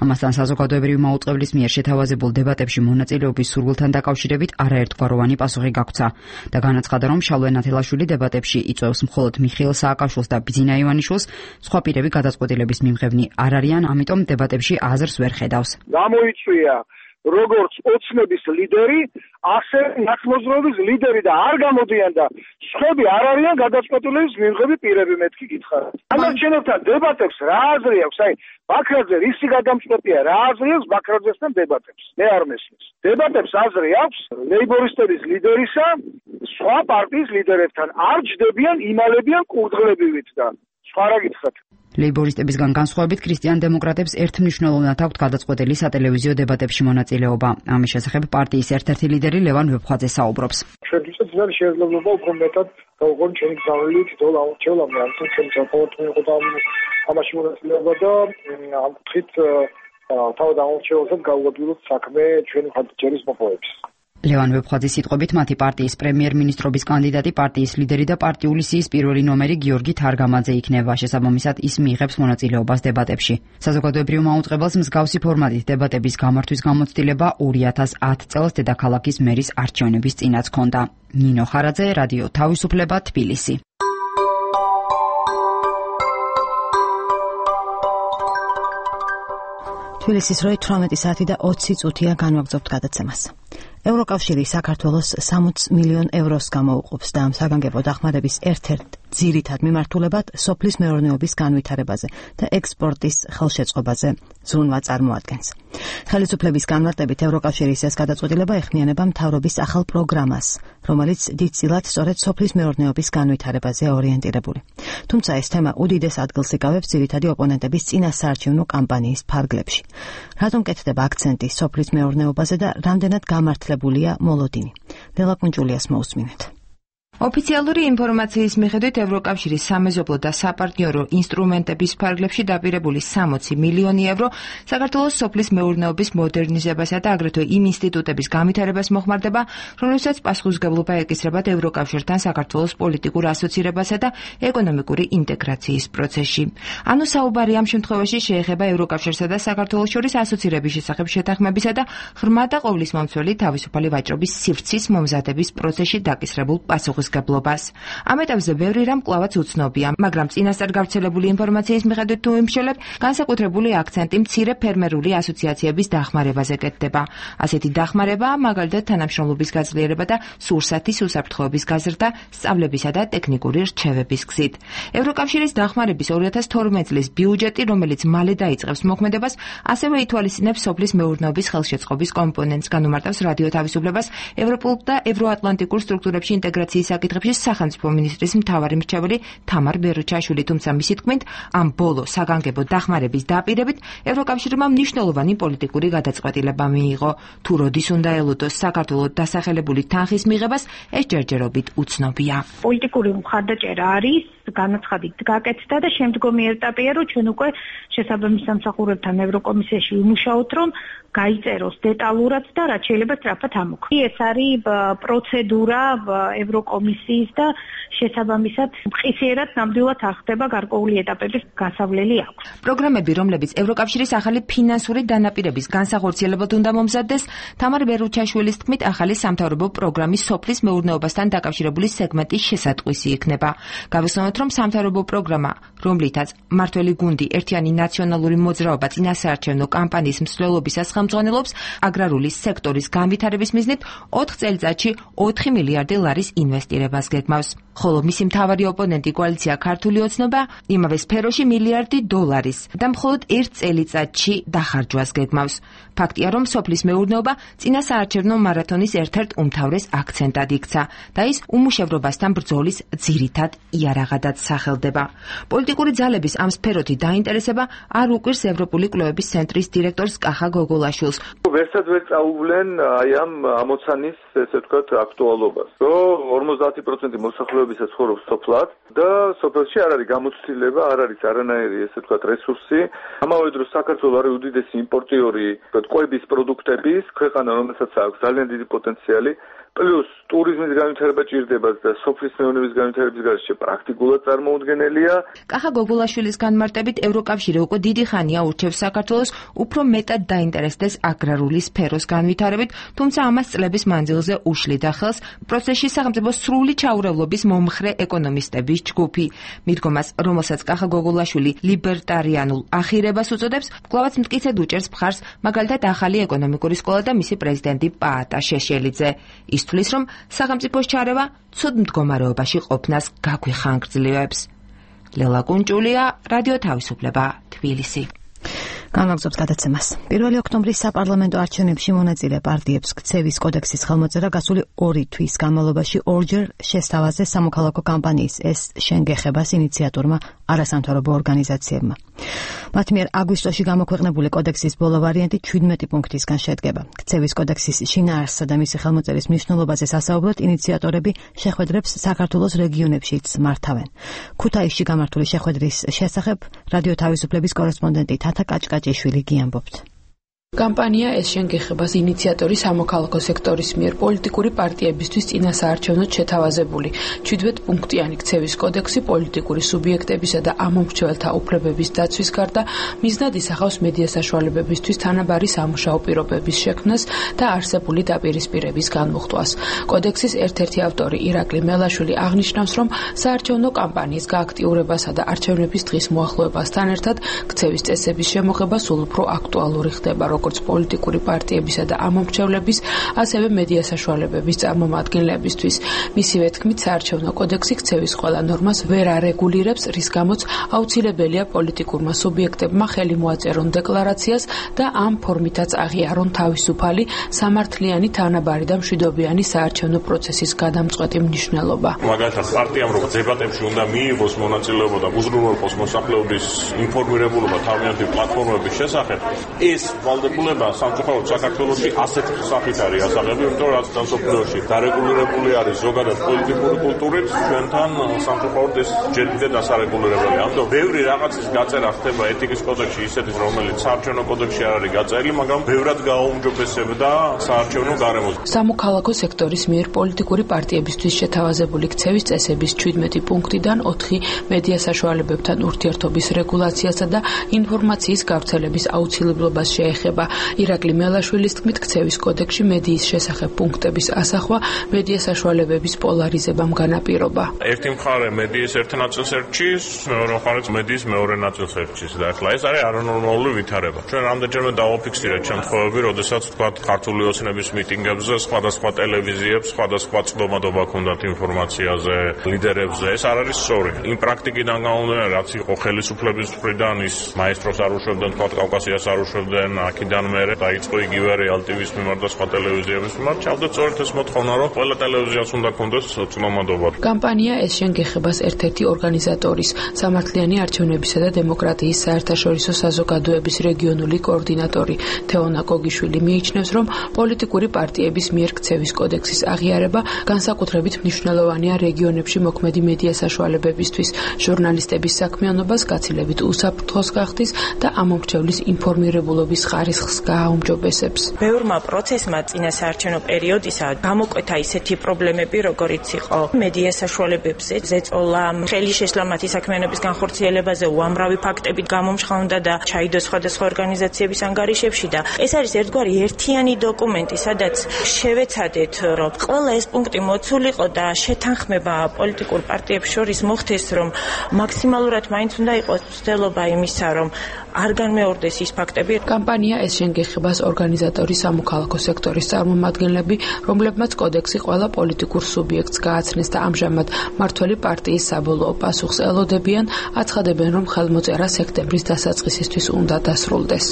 Speaker 16: ამასთან საზოგადოებრივი მაუწყებლის მიერ შეთავაზებულ დებატებში მონაწილეობის სურვილთან დაკავშირებით არაერთგვაროვანი პასუხი გაგვცა და განაცხადა, რომ შალვა ნათელაშვილი დებატებში იწვევს მხოლოდ მიხეილ სააკაშვილს და ბიძინა ივანიშვილს, სხვა პირები გადაწყვეტილების მიმღებნი არ არიან, ამიტომ დებატებში აზრს ვერ ხედავს.
Speaker 7: გამოიწვია როგორც ოცნების ლიდერი, ასე ნაცმოძრაობის ლიდერი და არ გამოდიან და სხვები არ არიან გადაწყვეტილების მიმღები პირები, მეთქი გითხარით. ამას ჩვენთან დებატებს რა აზრი აქვს? აი, ბაქრაძე რისი გადამწყვეტია, რა აზრი აქვს ბაქრაძესთან დებატებს? მე არ მესმის. დებატებს აზრი აქვს ლეიბორისტების ლიდერისა, სხვა პარტიის ლიდერებთან. არ ჯდებიან, იმალებიან კურდღლებივით და სხვა რა გითხრათ.
Speaker 16: ლეიბორისტებისგან განსხვავებით ქრისტიან დემოკრატებს ერთმნიშვნელოვნად აქვთ გადაწყვეტილი სატელევიზიო დებატებში მონაწილეობა. ამის შესახებ პარტიის ერთ-ერთი ლიდერი ლევან ვეფხვაძე საუბრობს.
Speaker 18: ჩვენთვის არის შესაძლებლობა უფრო მეტად გავუყო ჩვენი გზავნილი თითოეულ ამორჩეულამდე, ამიტომ ჩვენ საკუთარ მიიღოთ ამაში მონაწილეობა და ამ კუთხით თავად ამორჩეულსაც გავუადვილოთ საქმე ჩვენი მხარდაჭერის მოპოვების.
Speaker 16: ლევან ვეფხვაძის სიტყვებით მათი პარტიის პრემიერ-მინისტრობის კანდიდატი, პარტიის ლიდერი და პარტიული სიის პირველი ნომერი გიორგი თარგამაძე იქნება. შესაბამისად, ის მიიღებს მონაწილეობას დებატებში. საზოგადოებრივ მაუწყებელს მსგავსი ფორმატით დებატების გამართვის გამოცდილება 2010 წელს დედაქალაქის მერის არჩევნების წინაც ჰქონდა. ნინო ხარაძე, რადიო თავისუფლება, თბილისი.
Speaker 5: თბილისის როი 18 საათი და 20 წუთია განვაგრძობთ გადაცემას. ევროკავშირი საქართველოს 60 მილიონ ევროს გამოუყოფს და ამ საგანგებო დახმარების ერთ-ერთ ძირითად მიმართულებად სოფლის მეურნეობის განვითარებაზე და ექსპორტის ხელშეწყობაზე ზრუნვა წარმოადგენს. ხელისუფლების განმარტებით ევროკავშირის ეს გადაწყვეტილება ეხმიანება მთავრობის ახალ პროგრამას, რომელიც დიდწილად სწორედ სოფლის მეურნეობის განვითარებაზე ორიენტირებული. თუმცა ეს თემა უდიდეს ადგილს იკავებს ძირითადი ოპონენტების წინასაარჩევნო კამპანიის ფარგლებში. რატომ კეთდება აქცენტი სოფლის მეურნეობაზე და რამდენად გამართლებულია მოლოდინი? ლელა კუნჭულიას მოусმინეთ.
Speaker 19: ოფიციალური ინფორმაციის მიხედვით ევროკავშირის სამეზობლო და საპარტნიორო ინსტრუმენტების ფარგლებში დაპირებული 60 მილიონი ევრო საქართველოს სოფლის მეურნეობის მოდერნიზებასა და აგრეთვე იმ ინსტიტუტების განვითარებას მოხმარდება, რომლებსაც პასუხისმგებლობა ეკისრებათ ევროკავშირთან საქართველოს პოლიტიკურ ასოცირებასა და ეკონომიკური ინტეგრაციის პროცესში. ანუ საუბარი ამ შემთხვევაში შეეხება ევროკავშირსა და საქართველოს შორის ასოცირების შესახებ შეთანხმებისა და ღრმა და ყოვლისმომცველი თავისუფალი ვაჭრობის სივრცის მომზადების პროცესში დაკისრებულ პასუხისმგებლობას. ამ ეტაპზე ბევრი რამ კვლავაც უცნობია, მაგრამ წინასწარ გავრცელებული ინფორმაციის მიხედვით თუ ვიმსჯელებ, განსაკუთრებული აქცენტი მცირე ფერმერული ასოციაციების დახმარებაზე კეთდება. ასეთი დახმარება, მაგალითად თანამშრომლობის გაძლიერება და სურსათის უსაფრთხოების გაზრდა, სწავლებისა და ტექნიკური რჩევების გზით. ევროკავშირის დახმარების 2012 წლის ბიუჯეტი, რომელიც მალე დაიწყებს მოქმედებას, ასევე ითვალისწინებს სოფლის მეურნეობის ხელშეწყობის კომპონენტს, განუმარტავს რადიო თავისუფლებას ევროპულ და ევროატლანტიკურ სტრუქტურებში ინტეგრაციის საკითხებში სახელმწიფო მინისტრის მთავარი მრჩეველი თამარ ბერუჩაშვილი, თუმცა მისი თქმით, ამ ბოლო საგანგებო დახმარების დაპირებით ევროკავშირმა მნიშვნელოვანი პოლიტიკური გადაწყვეტილება მიიღო. თუ როდის უნდა ელოდოს საქართველოს დასახელებული თანხის მიღებას, ეს ჯერჯერობით უცნობია.
Speaker 20: პოლიტიკური მხარდაჭერა არის განაცხადით გაკეთდა და შემდგომი ეტაპია, რომ ჩვენ უკვე შესაბამის სამსახურებთან ევროკომისიაში ვიმუშაოთ, რომ გაიწეროს დეტალურად და რაც შეიძლება სწრაფად ამოქმედოს. ეს არის პროცედურა ევროკომისიის და შესაბამისად მყისიერად ნამდვილად არ ხდება გარკვეული ეტაპების გასავლელი აქვს.
Speaker 19: პროგრამები, რომლებიც ევროკავშირის ახალი ფინანსური დანაპირების განსახორციელებად უნდა მომზადდეს, თამარ ბერუჩაშვილის თქმით, ახალი სამთავრობო პროგრამის სოფლის მეურნეობასთან დაკავშირებული სეგმენტის შესატყვისი იქნება. გავიხსენოთ, რომ სამთავრობო პროგრამა, რომლითაც მმართველი გუნდი ერთიანი ნაციონალური მოძრაობა წინასაარჩევნო კამპანიის მსვლელობისას ხელმძღვანელობს, აგრარული სექტორის განვითარების მიზნით 4 წელიწადში 4 მილიარდი ლარის ინვესტირებას გეგმავს. ხოლო მისი მთავარი ოპონენტი კოალიცია ქართული ოცნება იმავე სფეროში მილიარდი დოლარის და მხოლოდ 1 წელიწადში დახარჯვას გეგმავს. ფაქტია, რომ სოფლის მეურნეობა წინასაარჩევნო მარათონის ერთ-ერთ უმთავრეს აქცენტად იქცა და ის უმუშევრობასთან ბრძოლის ძირითად იარაღადაც სახელდება. პოლიტიკური ძალების ამ სფეროთი დაინტერესება არ უკვირს ევროპული კვლევების ცენტრის დირექტორს კახა გოგოლაშვილს.
Speaker 21: ვერცად ვერ წაუვლენ აი ამ ამოცანის, ესე ვთქვათ, აქტუალობას, რომ 50% მოსახლეობისა ცხოვრობს სოფლად და სოფელში არ არის გამოცდილება, არ არის არანაირი, ესე ვთქვათ, რესურსი. ამავე დროს საქართველოს არის უდიდესი იმპორტიორი კვების პროდუქტების ქვეყანა, რომელსაც აქვს ძალიან დიდი პოტენციალი. პლუს ტურიზმის განვითარება ჭირდება და სოფლის მეურნეობის განვითარების გარეშე პრაქტიკულად წარმოუდგენელია.
Speaker 19: კახა გოგოლაშვილის განმარტებით ევროკავშირი უკვე დიდი ხანია ურჩევს საქართველოს უფრო მეტად დაინტერესდეს აგრარული სფეროს განვითარებით, თუმცა ამას წლების მანძილზე უშლიდა ხელს პროცესში სახელმწიფო სრული ჩაურევლობის მომხრე ეკონომისტების ჯგუფი. მიდგომას, რომელსაც კახა გოგოლაშვილი ლიბერტარიანულ ახირებას უწოდებს, კვლავაც მტკიცედ უჭერს მხარს მაგალითად ახალი ეკონომიკური სკოლა და მისი პრეზიდენტი პაატა შეშელიძე. თვლის, რომ სახელმწიფოს ჩარევა ცუდ მდგომარეობაში ყოფნას გაგვიხანგრძლივებს. ლელა კუნჭულია, რადიო თავისუფლება, თბილისი.
Speaker 5: განვაგრძობს გადაცემას. 1 ოქტომბრის საპარლამენტო არჩევნებში მონაწილე პარტიებს ქცევის კოდექსის ხელმოწერა გასული 2 თვის განმავლობაში ორჯერ შესთავაზეს სამოქალაქო კამპანიის ეს შენ გეხებას ინიციატორმა არასამთავრობო ორგანიზაციებმა. მათ მიერ აგვისტოში გამოქვეყნებული კოდექსის ბოლო ვარიანტი 17 პუნქტისგან შედგება. ქცევის კოდექსის შინაარსსა და მისი ხელმოწერის მნიშვნელობაზე სასაუბროდ ინიციატორები შეხვედრებს საქართველოს რეგიონებშიც მართავენ. ქუთაისში გამართული შეხვედრის შესახებ რადიო თავისუფლების კორესპონდენტი თათა კაჭკაჭიშვილი გიამბობთ.
Speaker 3: კამპანია ეს შენგეხებას ინიციატორი სამოქალაქო სექტორის მიერ პოლიტიკური პარტიებისთვის წინასაარჩევნოდ შეთავაზებული 17 პუნქტიანი ქცევის კოდექსი პოლიტიკური სუბიექტებისა და ამომრჩეველთა უფლებების დაცვის გარდა მიზნად ისახავს მედია საშუალებებისთვის თანაბარი სამუშაო პირობების შექმნას და არსებული დაპირისპირების განმუხტვას. კოდექსის ერთ-ერთი ავტორი ირაკლი მელაშვილი აღნიშნავს, რომ საარჩევნო კამპანიის გააქტიურებასა და არჩევნების დღის მოახლოებასთან ერთად ქცევის წესების შემოღება სულ უფრო აქტუალური ხდება, როგორც პოლიტიკური პარტიებისა და ამომრჩევლების, ასევე მედია საშუალებების წარმომადგენლებისთვის. მისივე თქმით, საარჩევნო კოდექსი ქცევის ყველა ნორმას ვერ არეგულირებს, რის გამოც აუცილებელია პოლიტიკურმა სუბიექტებმა ხელი მოაწერონ დეკლარაციას და ამ ფორმითაც აღიარონ თავისუფალი, სამართლიანი, თანაბარი და მშვიდობიანი საარჩევნო პროცესის გადამწყვეტი მნიშვნელობა.
Speaker 15: მაგალითად, პარტიამ რომ დებატებში უნდა მიიღოს მონაწილეობა და უზრუნველყოს მოსახლეობის ინფორმირებულობა თავიანთი პლატფორმების შესახებ, ეს ვალდებულება სამწუხაროდ საქართველოში ასეთ სახით არის ასაღები, იმიტომ რომ რაც მსოფლიოში დარეგულირებული არის ზოგადად პოლიტიკური კულტურით, ჩვენთან სამწუხაროდ ეს ჯერ კიდევ დასარეგულირებელია. ამიტომ ბევრი რაღაცის გაწერა ხდება ეთიკის კოდექსში, ისეთის, რომელიც საარჩევნო კოდექსში არ არის გაწერილი, მაგრამ ბევრად გააუმჯობესებდა საარჩევნო გარემოს.
Speaker 3: სამოქალაქო სექტორის მიერ პოლიტიკური პარტიებისთვის შეთავაზებული ქცევის წესების 17 პუნქტიდან 4 მედია საშუალებებთან ურთიერთობის რეგულაციასა და ინფორმაციის გავრცელების აუცილებლობას შეეხება. ირაკლი მელაშვილის თქმით, ქცევის კოდექსში მედიის შესახებ პუნქტების ასახვა მედია საშუალებების პოლარიზებამ განაპირობა.
Speaker 15: ერთი მხარე მედიის ერთ ნაწილს ერჩის, მეორე მხარე მედიის მეორე ნაწილს ერჩის და ახლა ეს არის არანორმალური ვითარება. ჩვენ რამდენჯერმე დავაფიქსირეთ შემთხვევები, როდესაც თქვა ქართული ოცნების მიტინგებზე სხვადასხვა ტელევიზიებს სხვადასხვა წვდომადობა ჰქონდათ ინფორმაციაზე, ლიდერებზე. ეს არ არის სწორი. იმ პრაქტიკიდან გამომდინარე, რაც იყო ხელისუფლების მხრიდან, ის მაესტროს არ უშვებდნენ, თქვა კავკასიას არ უშვებდნენ, აქედან მერე დაიწყო იგივე რეალ ტივის მიმართ და სხვა ტელევიზიების მიმართ. ჩავდა სწორედ ეს მოთხოვნა, რომ ყველა ტელევიზიას უნდა ქონდეს წვდომადობა.
Speaker 3: კამპანია ეს შენგეხებას ერთ-ერთი ორგანიზატორის, სამართლიანი არჩევნებისა და დემოკრატიის საერთაშორისო საზოგადოების რეგიონული კოორდინატორი თეონა გოგიშვილი მიიჩნევს, რომ პოლიტიკური პარტიების მიერ ქცევის კოდექსის აღიარება განსაკუთრებით მნიშვნელოვანია რეგიონებში მოქმედი მედია საშუალებებისთვის, ჟურნალისტების საქმიანობას გაცილებით უსაფრთხოს გახდის და ამომრჩევლის ინფორმირებულობის ხარისხს გააუმჯობესებს.
Speaker 22: ბევრმა პროცესმა წინა საარჩევნო პერიოდისა გამოკვეთა ისეთი პრობლემები, როგორიც იყო მედია საშუალებებზე ზეწოლა, ხელი შეშლა მათი საქმიანობის განხორციელებაზე, უამრავი ფაქტები გამომჟღავნდა და ჩაიდო სხვადასხვა ორგანიზაციების ანგარიშებში და ეს არის ერთგვარი ერთიანი დოკუმენტი, სადაც შევეცადეთ, რომ ყველა ეს პუნქტი მოცულიყო და შეთანხმება პოლიტიკურ პარტიებს შორის მოხდეს, რომ მაქსიმალურად მაინც უნდა იყოს ცდელობა იმისა, რომ არ განმეორდეს ის ფაქტები.
Speaker 3: კამპანია ეს შენგეხებას ორგანიზატორი სამოქალაქო სექტორის წარმომადგენლები, რომლებმაც კოდექსი ყველა პოლიტიკურ სუბიექტს გააცნეს და ამჟამად მართველი პარტიის საბოლოო პასუხს ელოდებიან, აცხადებენ, რომ ხელმოწერა სექტემბრის დასაწყისისთვის უნდა დასრულდეს.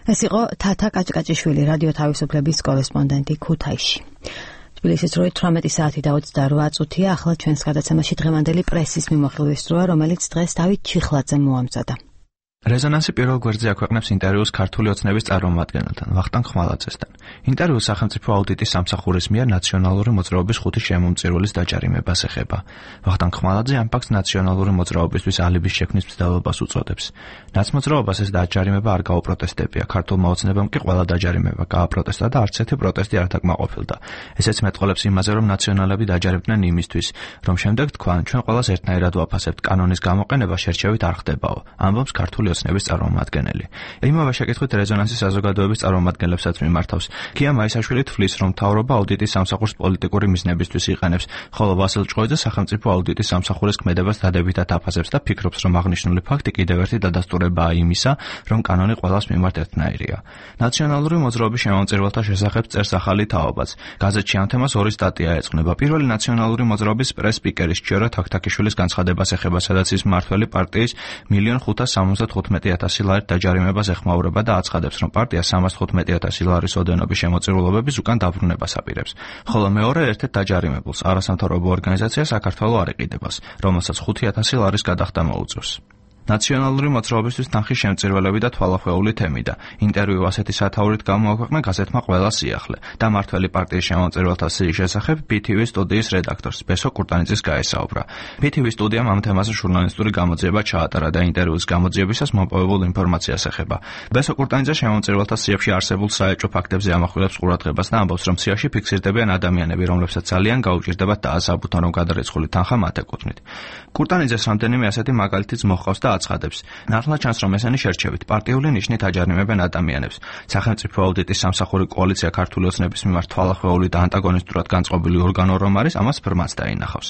Speaker 5: ეს იყო თათა კაჭკაჭიშვილი, რადიო თავისუფლების კორესპონდენტი ქუთაისში. თბილისის 18 საათი და 28 წუთია. ახლა ჩვენს გადაცემაში დღევანდელი პრესის მიმოხილვის დროა, რომელიც დღეს დავით ჩიხლაძემ მოამზადა.
Speaker 23: რეზონანსი პირველ გვერდზე აქვეყნებს ინტერვიუს ქართული ოცნების წარმომადგენელთან, ვახტანგ ხმალაძესთან. ინტერვიუს სახელმწიფო აუდიტის სამსახურის მიერ ნაციონალური მოძრაობის 5 შემომწირულის დაჯარიმებას ეხება. ვახტანგ ხმალაძე ამ ფაქტს ნაციონალური მოძრაობისთვის ალიბის შექმნის მცდელობას უწოდებს. ნაცმოძრაობას ეს დაჯარიმება არ გაუპროტესტებია, ქართულმა ოცნებამ კი ყველა დაჯარიმება გააპროტესტა და არც ერთი პროტესტი არ დაკმაყოფილდა. ესეც მეტყოლებს იმაზე, რომ ნაციონალები დაჯარებდნენ იმისთვის, რომ შემდეგ თქვან, ჩვენ ყველას ერთნაირად ვაფასებთ, კანონის გამოყენება შერჩევით არ ხდებაო. ამბობს ქართული ოცნების წარმომადგენელი. იმავე შეკითხვით რეზონანსის საზოგადოების წარმომადგენლებსაც მიმართავს. ქია მაისაშვილი თვლის, რომ მთავრობა აუდიტის სამსახურს პოლიტიკური მიზნებისთვის იყენებს, ხოლო ვასილ ჭყოიძე სახელმწიფო აუდიტის სამსახურის ქმედებას დადებითად აფასებს და ფიქრობს, რომ აღნიშნული ფაქტი კიდევ ერთი დადასტურებაა იმისა, რომ კანონი ყველას მიმართ ერთნაირია. ნაციონალური მოძრაობის შემომწირულთა შესახებ წერს ახალი თაობაც. გაზეთში ამ თემას 2 სტატია ეძღვნება. პირველი ნაციონალური მოძრაობის პრეს-სპიკერის ჭიორა თაქთაქიშვილის განცხადებას ეხება, სადაც ის მმართველი პარტიის 1,570,000 $315,000 ლარით დაჯარიმებას ეხმაურება და აცხადებს, რომ პარტია $315,000 ლარის ოდენობის შემოწირულობების უკან დაბრუნებას აპირებს. ხოლო მეორე ერთ-ერთ დაჯარიმებულს არასამთავრობო ორგანიზაცია საქართველო არ იყიდებას, რომელსაც $5,000 ლარის გადახდა მოუწევს. ნაციონალური მოძრაობისთვის თანხის შემწირველები და თვალახვეული თემი და ინტერვიუ ასეთი სათაურით გამოაქვეყნა გაზეთმა ყველა სიახლე და მართველი პარტიის შემომწირველთა სიის შესახებ BTV სტუდიის რედაქტორს ბესო კურტანიძის გაესაუბრა. BTV სტუდიამ ამ თემაზე ჟურნალისტური გამოძიება ჩაატარა და ინტერვიუს გამოძიებისას მოპოვებულ ინფორმაციას ეხება. ბესო კურტანიძე შემომწირველთა სიებში არსებულ საეჭვო ფაქტებზე ამახვილებს ყურადღებას და ამბობს, რომ სიაში ფიქსირდებიან ადამიანები, რომლებსაც ძალიან გაუჭირდებათ დაასაბუთონ, რომ გადარიცხული თანხა მათ ეკუთვნით. კურტანიძეს რამდენიმე ასეთი მაგალითიც მოჰყავს და აცხადებს. ნახლა ჩანს, რომ ესენი შერჩევით პარტიული ნიშნით აჯარიმებენ ადამიანებს. სახელმწიფო აუდიტის სამსახური კოალიცია ქართული ოცნების მიმართ თვალახვეული და ანტაგონისტურად განწყობილი ორგანო რომ არის, ამას ბრმაც დაინახავს.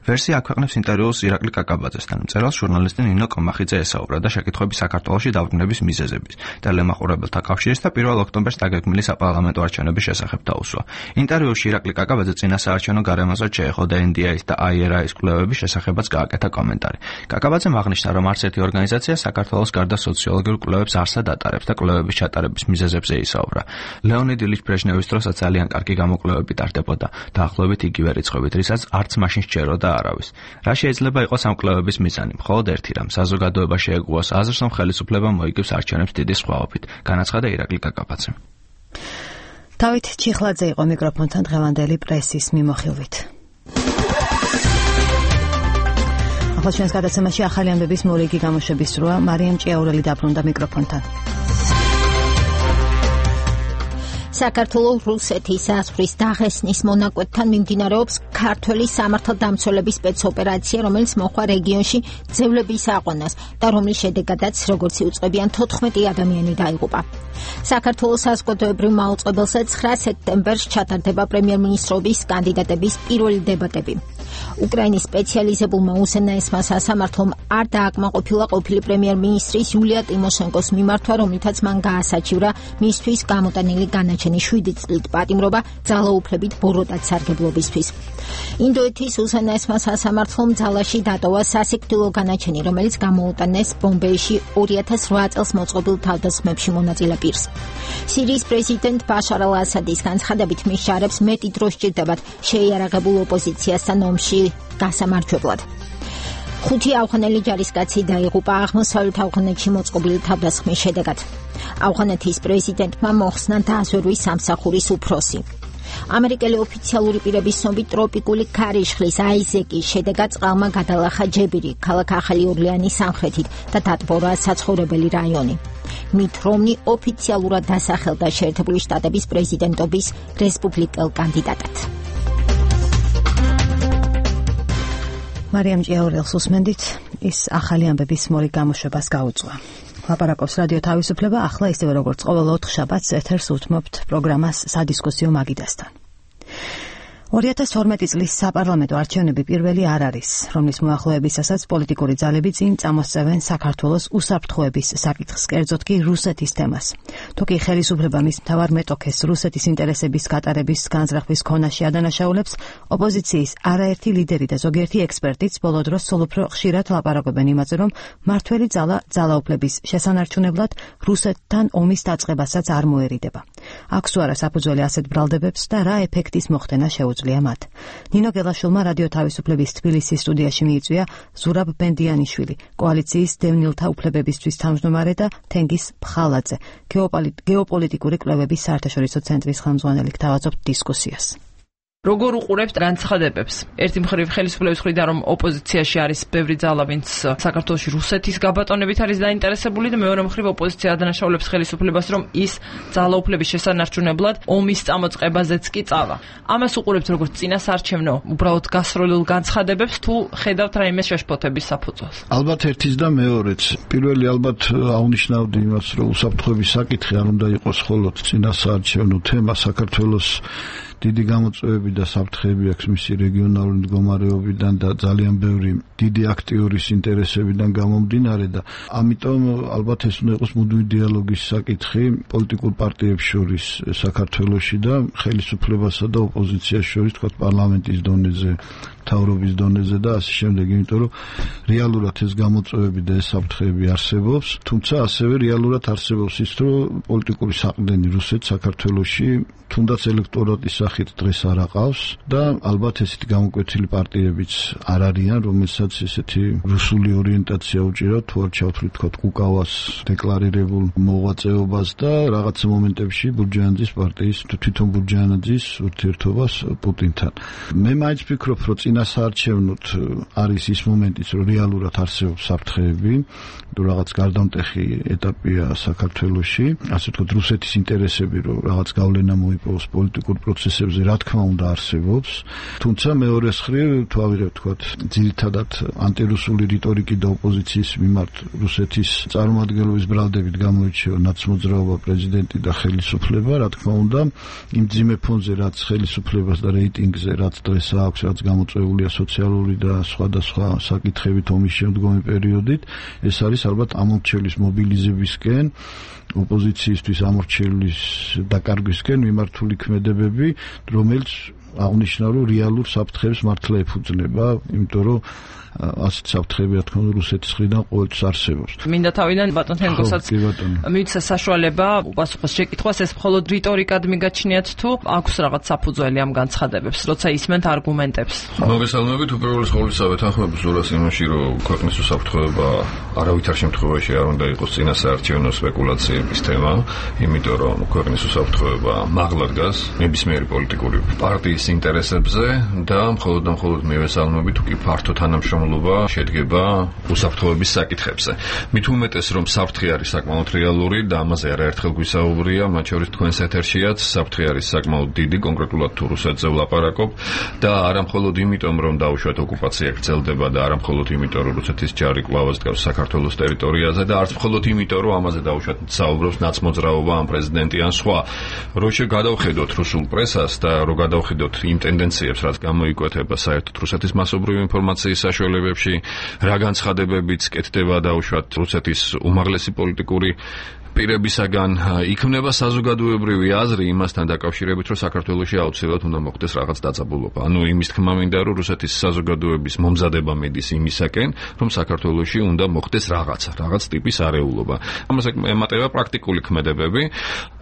Speaker 23: ვერსია აქვეყნებს ინტერვიუს ირაკლი კაკაბაძესთან. მწერალს ჟურნალისტი ნინო კომახიძე ესაუბრა და შეკითხვები საქართველოში დაბრუნების მიზეზების და ლემაყურებელთა კავშირის და 1 ოქტომბერს დაგეგმილი საპარლამენტო არჩევნების შესახებ დაუსვა. ინტერვიუში ირაკლი კაკაბაძე წინასაარჩევნო გარემოზე შეეხო და NDI-ის და IRA-ის კვლევების შესახებაც გააკეთა კომენტარი. კაკაბაძემ აღნიშნა, რომ არც ერთი ორგანიზაცია საქართველოს გარდა სოციოლოგიურ კვლევებს არსად ატარებს და კვლევების ჩატარების მიზეზებზე ისაუბრა. ლეონიდ ილიჩ ბრეჟნევის დროსაც ძალიან კარგი გამოკვლევები ტარდებოდა, დაახლოებით იგივე რიცხვებით, რისაც არც მაშინ სჯეროდა არავის. რა შეიძლება იყოს ამ კვლევების მიზანი? მხოლოდ ერთი რამ, საზოგადოება შეეგუოს აზრს, რომ ხელისუფლება მოიგებს არჩევნებს დიდი სხვაობით, განაცხადა ირაკლი კაკაბაძემ.
Speaker 5: დავით ჩიხლაძე იყო მიკროფონთან დღევანდელი პრესის მიმოხილვით. ახლა ჩვენს გადაცემაში ახალი ამბების მორიგი გამოშვების სროა. მარიამ ჭიაურელი დაბრუნდა მიკროფონთან.
Speaker 1: საქართველოს რუსეთის საზღვრის დაღესნის მონაკვეთთან მიმდინარეობს ქართველი სამართალდამცველების სპეცოპერაცია, რომელიც მოხდა რეგიონში ძევლების აყვანას და რომლის შედეგადაც, როგორც იუწყებიან, 14 ადამიანი დაიღუპა. საქართველოს საზოგადოებრივ მაუწყებელზე 9 სექტემბერს ჩატარდება პრემიერ-მინისტრობის კანდიდატების პირველი დებატები. უკრაინის სპეციალიზებულმა უზენაესმა სასამართლომ არ დააკმაყოფილა ყოფილი პრემიერ-მინისტრის იულია ტიმოშენკოს მიმართვა, რომლითაც მან გაასაჩივრა მისთვის გამოტანილი განაჩენი 7 წლით პატიმრობა ძალაუფლებით ბოროტად სარგებლობისთვის. ინდოეთის უზენაესმა სასამართლომ ძალაში დატოვა სასიკვდილო განაჩენი, რომელიც გამოუტანეს ბომბეიში 2008 წელს მოწყობილ თავდასხმებში მონაწილე პირს. სირიის პრეზიდენტ ბაშარ ალ-ასადის განცხადებით, მის შარებს მეტი დრო სჭირდებათ შეიარაღებულ ოპოზიციასთან ომში გასამარჯვებლად. 5 ავღანელი ჯარისკაცი დაიღუპა აღმოსავლეთ ავღანეთში მოწყობილი თავდასხმის შედეგად. ავღანეთის პრეზიდენტმა მოხსნა დაზვერვის სამსახურის უფროსი. ამერიკელი ოფიციალური პირების ცნობით ტროპიკული ქარიშხლის აიზეკის შედეგად წყალმა გადალახა ჯებირი, ქალაქ ახალი ორლეანის სამხრეთით და დატბორა საცხოვრებელი რაიონი. მით რომნი ოფიციალურად დასახელდა შეერთებული შტატების პრეზიდენტობის რესპუბლიკელ კანდიდატად.
Speaker 5: მარიამ ჭიაურელს უსმენდით, ის ახალი ამბების მორიგ გამოშვებას გაუძღვა. ლაპარაკობს რადიო თავისუფლება, ახლა ისევე როგორც ყოველ 4 შაბათს ეთერს უთმობთ პროგრამას სადისკუსიო მაგიდასთან. 2012 წლის საპარლამენტო არჩევნები პირველი არ არის, რომლის მოახლოებისასაც პოლიტიკური ძალები წინ წამოსწევენ საქართველოს უსაფრთხოების საკითხს, კერძოდ კი რუსეთის თემას. თუ კი ხელისუფლება მის მთავარ მეტოქეს რუსეთის ინტერესების გატარების განზრახვის ქონაში ადანაშაულებს, ოპოზიციის არაერთი ლიდერი და ზოგიერთი ექსპერტიც ბოლო დროს სულ უფრო ხშირად ლაპარაკობენ იმაზე, რომ მართველი ძალა ძალაუფლების შესანარჩუნებლად რუსეთთან ომის დაწყებასაც არ მოერიდება. აქვს თუ არა საფუძველი ასეთ ბრალდებებს და რა ეფექტის მოხდენა შეუძლია მათ. ნინო გელაშვილმა რადიო თავისუფლების თბილისის სტუდიაში მიიწვია ზურაბ ბენდიანიშვილი, კოალიციის დევნილთა უფლებებისთვის თავმჯდომარე და თენგიზ ფხალაძე, გეოპოლიტიკური კვლევების საერთაშორისო ცენტრის ხელმძღვანელი, გთავაზობთ დისკუსიას.
Speaker 4: როგორ უყურებთ განცხადებებს? ერთი მხრივ ხელისუფლების მხრიდან, რომ ოპოზიციაში არის ბევრი ძალა, ვინც საქართველოში რუსეთის გაბატონებით არის დაინტერესებული და მეორე მხრივ ოპოზიცია ადანაშაულებს ხელისუფლებას, რომ ის ძალაუფლების შესანარჩუნებლად ომის წამოწყებაზეც კი წავა. ამას უყურებთ როგორც წინასაარჩევნო, უბრალოდ გასროლილ განცხადებებს, თუ ხედავთ რაიმე შეშფოთების საფუძველს?
Speaker 6: ალბათ ერთის და მეორეც. პირველი ალბათ აღნიშნავდი იმას, რომ უსაფრთხოების საკითხი არ უნდა იყოს მხოლოდ წინასაარჩევნო თემა საქართველოს დიდი გამოწვევები და საფრთხეები აქვს მისი რეგიონალური მდგომარეობიდან და ძალიან ბევრი დიდი აქტიორის ინტერესებიდან გამომდინარე და ამიტომ ალბათ ეს უნდა იყოს მუდმივი დიალოგის საკითხი პოლიტიკურ პარტიებს შორის საქართველოში და ხელისუფლებასა და ოპოზიციას შორის თქვა პარლამენტის დონეზე მთავრობის დონეზე და ასე შემდეგ, იმიტომ რომ რეალურად ეს გამოწვევები და ეს საფრთხეები არსებობს, თუმცა ასევე რეალურად არსებობს ის, რომ პოლიტიკური საყრდენი რუსეთს საქართველოში თუნდაც ელექტორატის სახით დღეს არ აყავს და ალბათ ესეთი გამოკვეთილი პარტიებიც არ არიან, რომელსაც ესეთი რუსული ორიენტაცია უჭირავთ, თუ არ ჩავთვლით თქვა კუკავას დეკლარირებულ მოღვაწეობას და რაღაც მომენტებში ბურჯაანძის პარტიის თვითონ ბურჯაანაძის ურთიერთობას პუტინთან. მე მაინც ვფიქრობ, რომ წინასაარჩევნოდ არის ის მომენტიც, რომ რეალურად არსებობს საფრთხეები, რომ რაღაც გარდამტეხი ეტაპია საქართველოში, ასე ვთქვათ, რუსეთის ინტერესები, რომ რაღაც გავლენა მოიპოვოს პოლიტიკურ პროცესებზე, რა თქმა უნდა არსებობს, თუმცა მეორეს მხრივ თუ ავიღებთ, ვთქვათ, ძირითადად ანტირუსული რიტორიკი და ოპოზიციის მიმართ რუსეთის წარმომადგენლობის ბრალდებით გამოირჩევა ნაცმოძრაობა, პრეზიდენტი და ხელისუფლება, რა თქმა უნდა, იმ ძიმე ფონზე, რაც ხელისუფლებას და რეიტინგზე, რაც დღეს აქვს, რაც გამოწვეულია სოციალური და სხვადასხვა საკითხებით ომის შემდგომი პერიოდით, ეს არის ალბათ ამორჩევლის მობილიზებისკენ, ოპოზიციისთვის ამორჩევლის დაკარგვისკენ მიმართული ქმედებები, რომელიც აღნიშნავს, რომ რეალურ საფრთხეებს მართლა ეფუძნება, იმიტომ რომ ასეთ საფრთხეები, რა თქმა უნდა, რუსეთის მხრიდან ყოველთვის არსებობს.
Speaker 4: მინდა თავიდან ბატონ თენგოსაც მივიცა საშუალება უპასუხოს შეკითხვას, ეს მხოლოდ რიტორიკად მიგაჩნიათ თუ აქვს რაღაც საფუძველი ამ განცხადებებს, როცა ისმენთ არგუმენტებს.
Speaker 9: მოგესალმებით, უპირველეს ყოვლისა ვეთანხმებ ზურას იმაში, რომ ქვეყნის უსაფრთხოება არავითარ შემთხვევაში არ უნდა იყოს წინასაარჩევნო სპეკულაციების თემა, იმიტომ რომ ქვეყნის უსაფრთხოება მაღლა დგას ნებისმიერი პოლიტიკური პარტიის ინტერესებზე და მხოლოდ მივესალმებით, თუ კი ფართო თანამშრომლობა შედგება უსაფრთხოების საკითხებზე. მით უმეტეს, რომ საფრთხე არის საკმაოდ რეალური და ამაზე არაერთხელ გვისაუბრია, მათ შორის თქვენს ეთერშიაც საფრთხე არის საკმაოდ დიდი, კონკრეტულად თუ რუსეთზე ვლაპარაკობ და არა მხოლოდ იმიტომ, რომ დაუშვათ ოკუპაცია გრძელდება და არა მხოლოდ იმიტომ, რომ რუსეთის ჯარი კვლავ დგას საქართველოს ტერიტორიაზე და არც მხოლოდ იმიტომ, რომ ამაზე დაუშვათ საუბრობს ნაცმოძრაობა, ან პრეზიდენტი, ან სხვა. რო გადავხედოთ რუსულ პრესას და რო გადავხედოთ იმ ტენდენციებს, რაც გამოიკვეთება საერთოდ რუსეთის მასობრივი ინფორმაციის საშუალებებში, რა განცხადებებიც კეთდება დაუშვათ რუსეთის უმაღლესი პოლიტიკური პირებისაგან, იქმნება საზოგადოებრივი აზრი იმასთან დაკავშირებით, რომ საქართველოში აუცილებლად უნდა მოხდეს რაღაც დაძაბულობა. ანუ იმის თქმა მინდა, რომ რუსეთის საზოგადოების მომზადება მედის იმისაკენ, რომ საქართველოში უნდა მოხდეს რაღაც ტიპის არეულობა. ამას ემატება პრაქტიკული ქმედებები,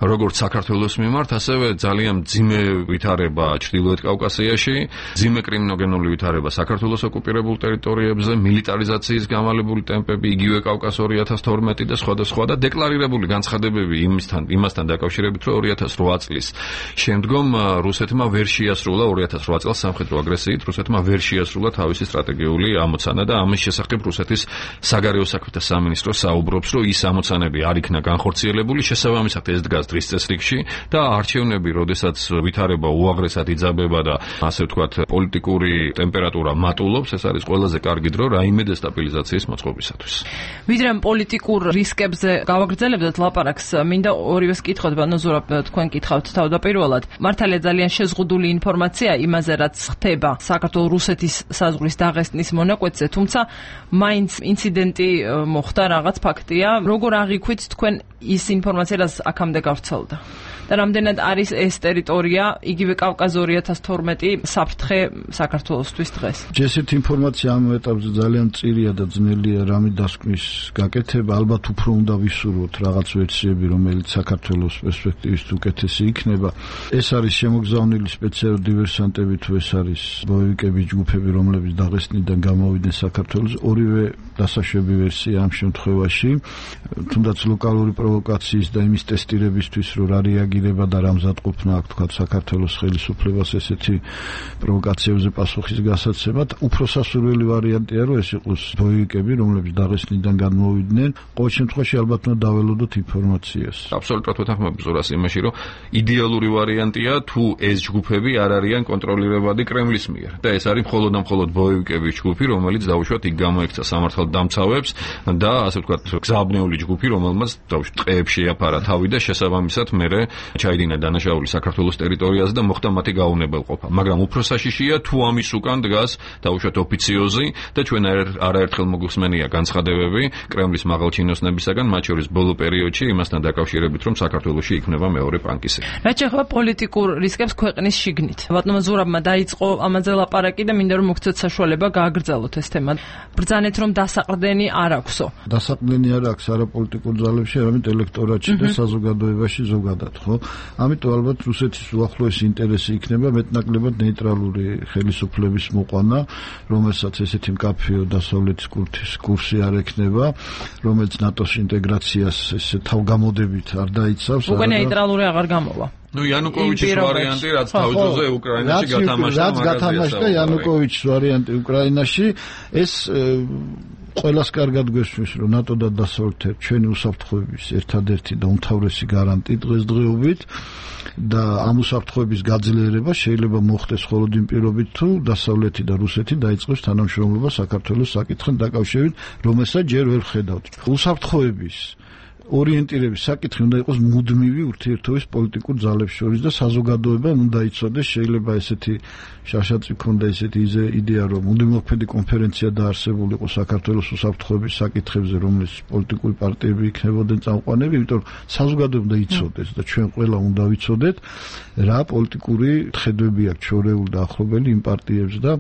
Speaker 9: როგორც საქართველოს მიმართ, ასევე ძალიან მძიმე ვითარება ჩრდილოეთ კავკასიაში, მძიმე კრიმინოგენული ვითარება საქართველოს ოკუპირებულ ტერიტორიებზე, მილიტარიზაციის გამალებული ტემპები, იგივე კავკას 2012 და სხვა და დეკლარირებული განცხადებები იმასთან დაკავშირებით, რომ 2008 წლის შემდგომ რუსეთმა ვერ შეასრულა 2008 წელს სამხედრო აგრესიით რუსეთმა ვერ შეასრულა თავისი სტრატეგიული ამოცანა და ამის შესახებ რუსეთის საგარეო საქმეთა სამინისტრო საუბრობს, რომ ის ამოცანები არ იქნა განხორციელებული, შესაბამისად ეს დგას დღის წესრიგში და არჩევნები, როდესაც ვითარება უაღრესად იძაბება და ასე ვთქვათ, პოლიტიკური ტემპერატურა მატულობს, ეს არის ყველაზე კარგი დრო რაიმე დესტაბილიზაციის მოწყობისათვის.
Speaker 4: ვიდრე პოლიტიკურ რისკებზე გავაგრძელებდეთ ლაპარაკს, მინდა ორივეს კითხოთ, ბატონ ზურაბ, თქვენ კითხავთ თავდაპირველად. მართალია ძალიან შეზღუდული ინფორმაცია იმაზე, რაც ხდება საქართველოს-რუსეთის საზღვრის დაღესტნის მონაკვეთზე, თუმცა მაინც ინციდენტი მოხდა, რაღაც ფაქტია. როგორ აღიქვით თქვენ ის ინფორმაცია, რაც აქამდე გავრცელდა? და რამდენად არის ეს ტერიტორია, იგივე კავკაზი 2012 საფრთხე საქართველოსთვის დღეს?
Speaker 6: ესეთი ინფორმაცია ამ ეტაპზე ძალიან მწირია და ძნელია რამე დასკვნის გაკეთება. ალბათ უფრო უნდა ვისურვოთ რაღაც ვერსიები, რომელიც საქართველოს პერსპექტივით უკეთესი იქნება. ეს არის შემოგზავნილი სპეციალური დივერსანტები, თუ ეს არის ბოევიკები, ჯგუფები, რომლებიც დაღესტნიდან გამოვიდნენ საქართველოს. ორივე დასაშვები ვერსია ამ შემთხვევაში, თუნდაც ლოკალური პროვოკაციის და იმის ტესტირებისთვის, რომ რა რეაგირება და რა მზადყოფნა აქვს თქვა საქართველოს ხელისუფლებას ესეთი პროვოკაციებზე პასუხის გასაცემად. უფრო სასურველი ვარიანტია, რომ ეს იყოს ბოევიკები, რომლებიც დაღესტნიდან გამოვიდნენ. ყოველ შემთხვევაში ალბათ უნდა დაველოდოთ ინფორმაციას.
Speaker 9: აბსოლუტურად ვეთანხმებ ზურას იმაში, რომ იდეალური ვარიანტია, თუ ეს ჯგუფები არ არიან კონტროლირებადი კრემლის მიერ. და ეს არის მხოლოდ ბოევიკების ჯგუფი, რომელიც დაუშვათ იქ გამოექცა სამართალდამცავებს და ასე ვთქვათ, გზააბნეული ჯგუფი, რომელმაც დაუშვათ ტყეებში შეაფარა თავი და შესაბამისად მერე ჩაიდინა დანაშაული საქართველოს ტერიტორიაზე და მოხდა მათი გაუნებელყოფა. მაგრამ უფრო საშიშია თუ ამის უკან დგას დაუშვათ ოფიციოზი და ჩვენ არაერთხელ მოგვხსენია განცხადებები კრემლის მაღალჩინოსნებისაგან, მათ შორის ბოლო პერიოდში იმასთან დაკავშირებით, რომ საქართველოში იქნება მეორე პანკისები.
Speaker 4: რაც შეეხება პოლიტიკურ რისკებს ქვეყნის შიგნით. ბატონმა ზურაბმა დაიწყო ამაზე ლაპარაკი და მინდა რომ მოგცეთ საშუალება გააგრძელოთ ეს თემა. ბრძანეთ რომ დასაყრდენი არ აქვსო.
Speaker 6: დასაყრდენი არ აქვს არა პოლიტიკურ ძალებში, არამედ ელექტორატში და საზოგადოებაში ზოგადად, ხო? ამიტომ ალბათ რუსეთის უახლოესი ინტერესი იქნება მეტნაკლებად ნეიტრალური ხელისუფლების მოყვანა, რომელსაც ესეთი მკაფიო დასავლეთის კურსი არ ექნება, რომელიც ნატოს ინტეგრაციას ესე თავგამოდებით არ დაიცავს.
Speaker 4: უკვე ნეიტრალური აღარ გამოვა.
Speaker 9: იანუკოვიჩის ვარიანტი, რაც თავის დროზე უკრაინაში გათამაშდა,
Speaker 6: რაც გათამაშდა იანუკოვიჩის ვარიანტი უკრაინაში, ეს ყველას კარგად გვესმის, რომ ნატო და დასავლეთ ჩვენი უსაფრთხოების ერთადერთი და უმთავრესი გარანტი დღესდღეობით და ამ უსაფრთხოების გაძლიერება შეიძლება მოხდეს მხოლოდ იმ პირობით, თუ დასავლეთი და რუსეთი დაიწყებს თანამშრომლობა საქართველოს საკითხთან დაკავშირებით, რომელსაც ჯერ ვერ ხედავთ. უსაფრთხოების ორიენტირების საკითხი უნდა იყოს მუდმივი ურთიერთობის პოლიტიკურ ძალებს შორის და საზოგადოებამ უნდა იცოდეს, შეიძლება ესეთი შაშაწი ქონდა ესეთი იდეა, რომ მუდმივმოქმედი კონფერენცია დაარსებული იყო საქართველოს უსაფრთხოების საკითხებზე, რომელიც პოლიტიკური პარტიები იქნებოდნენ წამყვანები, იმიტომ რომ საზოგადოება უნდა იცოდეს და ჩვენ ყველა უნდა ვიცოდეთ, რა პოლიტიკური ხედვები აქვს ჩვეულებრივ და ახლობელი იმ პარტიებს და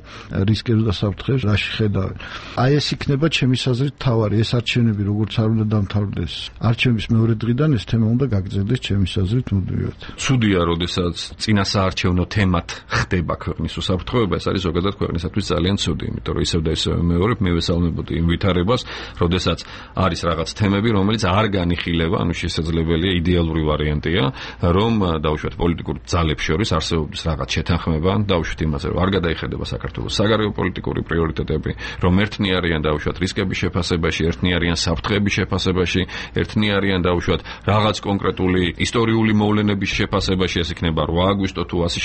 Speaker 6: რისკებს და საფრთხეებს რაში ხედავენ. აი ეს იქნება ჩემის აზრით თავარი, ეს არჩევნები როგორც არ უნდა დამთავრდეს. არჩევნების მეორე დღიდან ეს თემა უნდა გაგრძელდეს ჩემის აზრით მუდმივად.
Speaker 9: ცუდია, როდესაც წინასაარჩევნო თემად ხდება ქვეყნის უსაფრთხოება, ეს არის ზოგადად ქვეყნისათვის ძალიან ცუდი, იმიტომ რომ ისევ და ისევ მეორებ მე ვესალმებოდი იმ ვითარებას, როდესაც არის რაღაც თემები, რომელიც არ განიხილება, ანუ შესაძლებელია იდეალური ვარიანტია, რომ დაუშვათ პოლიტიკურ ძალებს შორის არსებობს რაღაც შეთანხმება, დაუშვათ იმაზე, რომ არ გადაიხედება საქართველოს საგარეო პოლიტიკური პრიორიტეტები, რომ ერთნი არიან დაუშვათ რისკების შეფასებაში, ერთნი არიან საფრთხეების შეფასებაში, ერთნი არიან დაუშვათ რაღაც კონკრეტული ისტორიული მოვლენების შეფასებაში, ეს იქნება 8 აგვისტო თუ ასე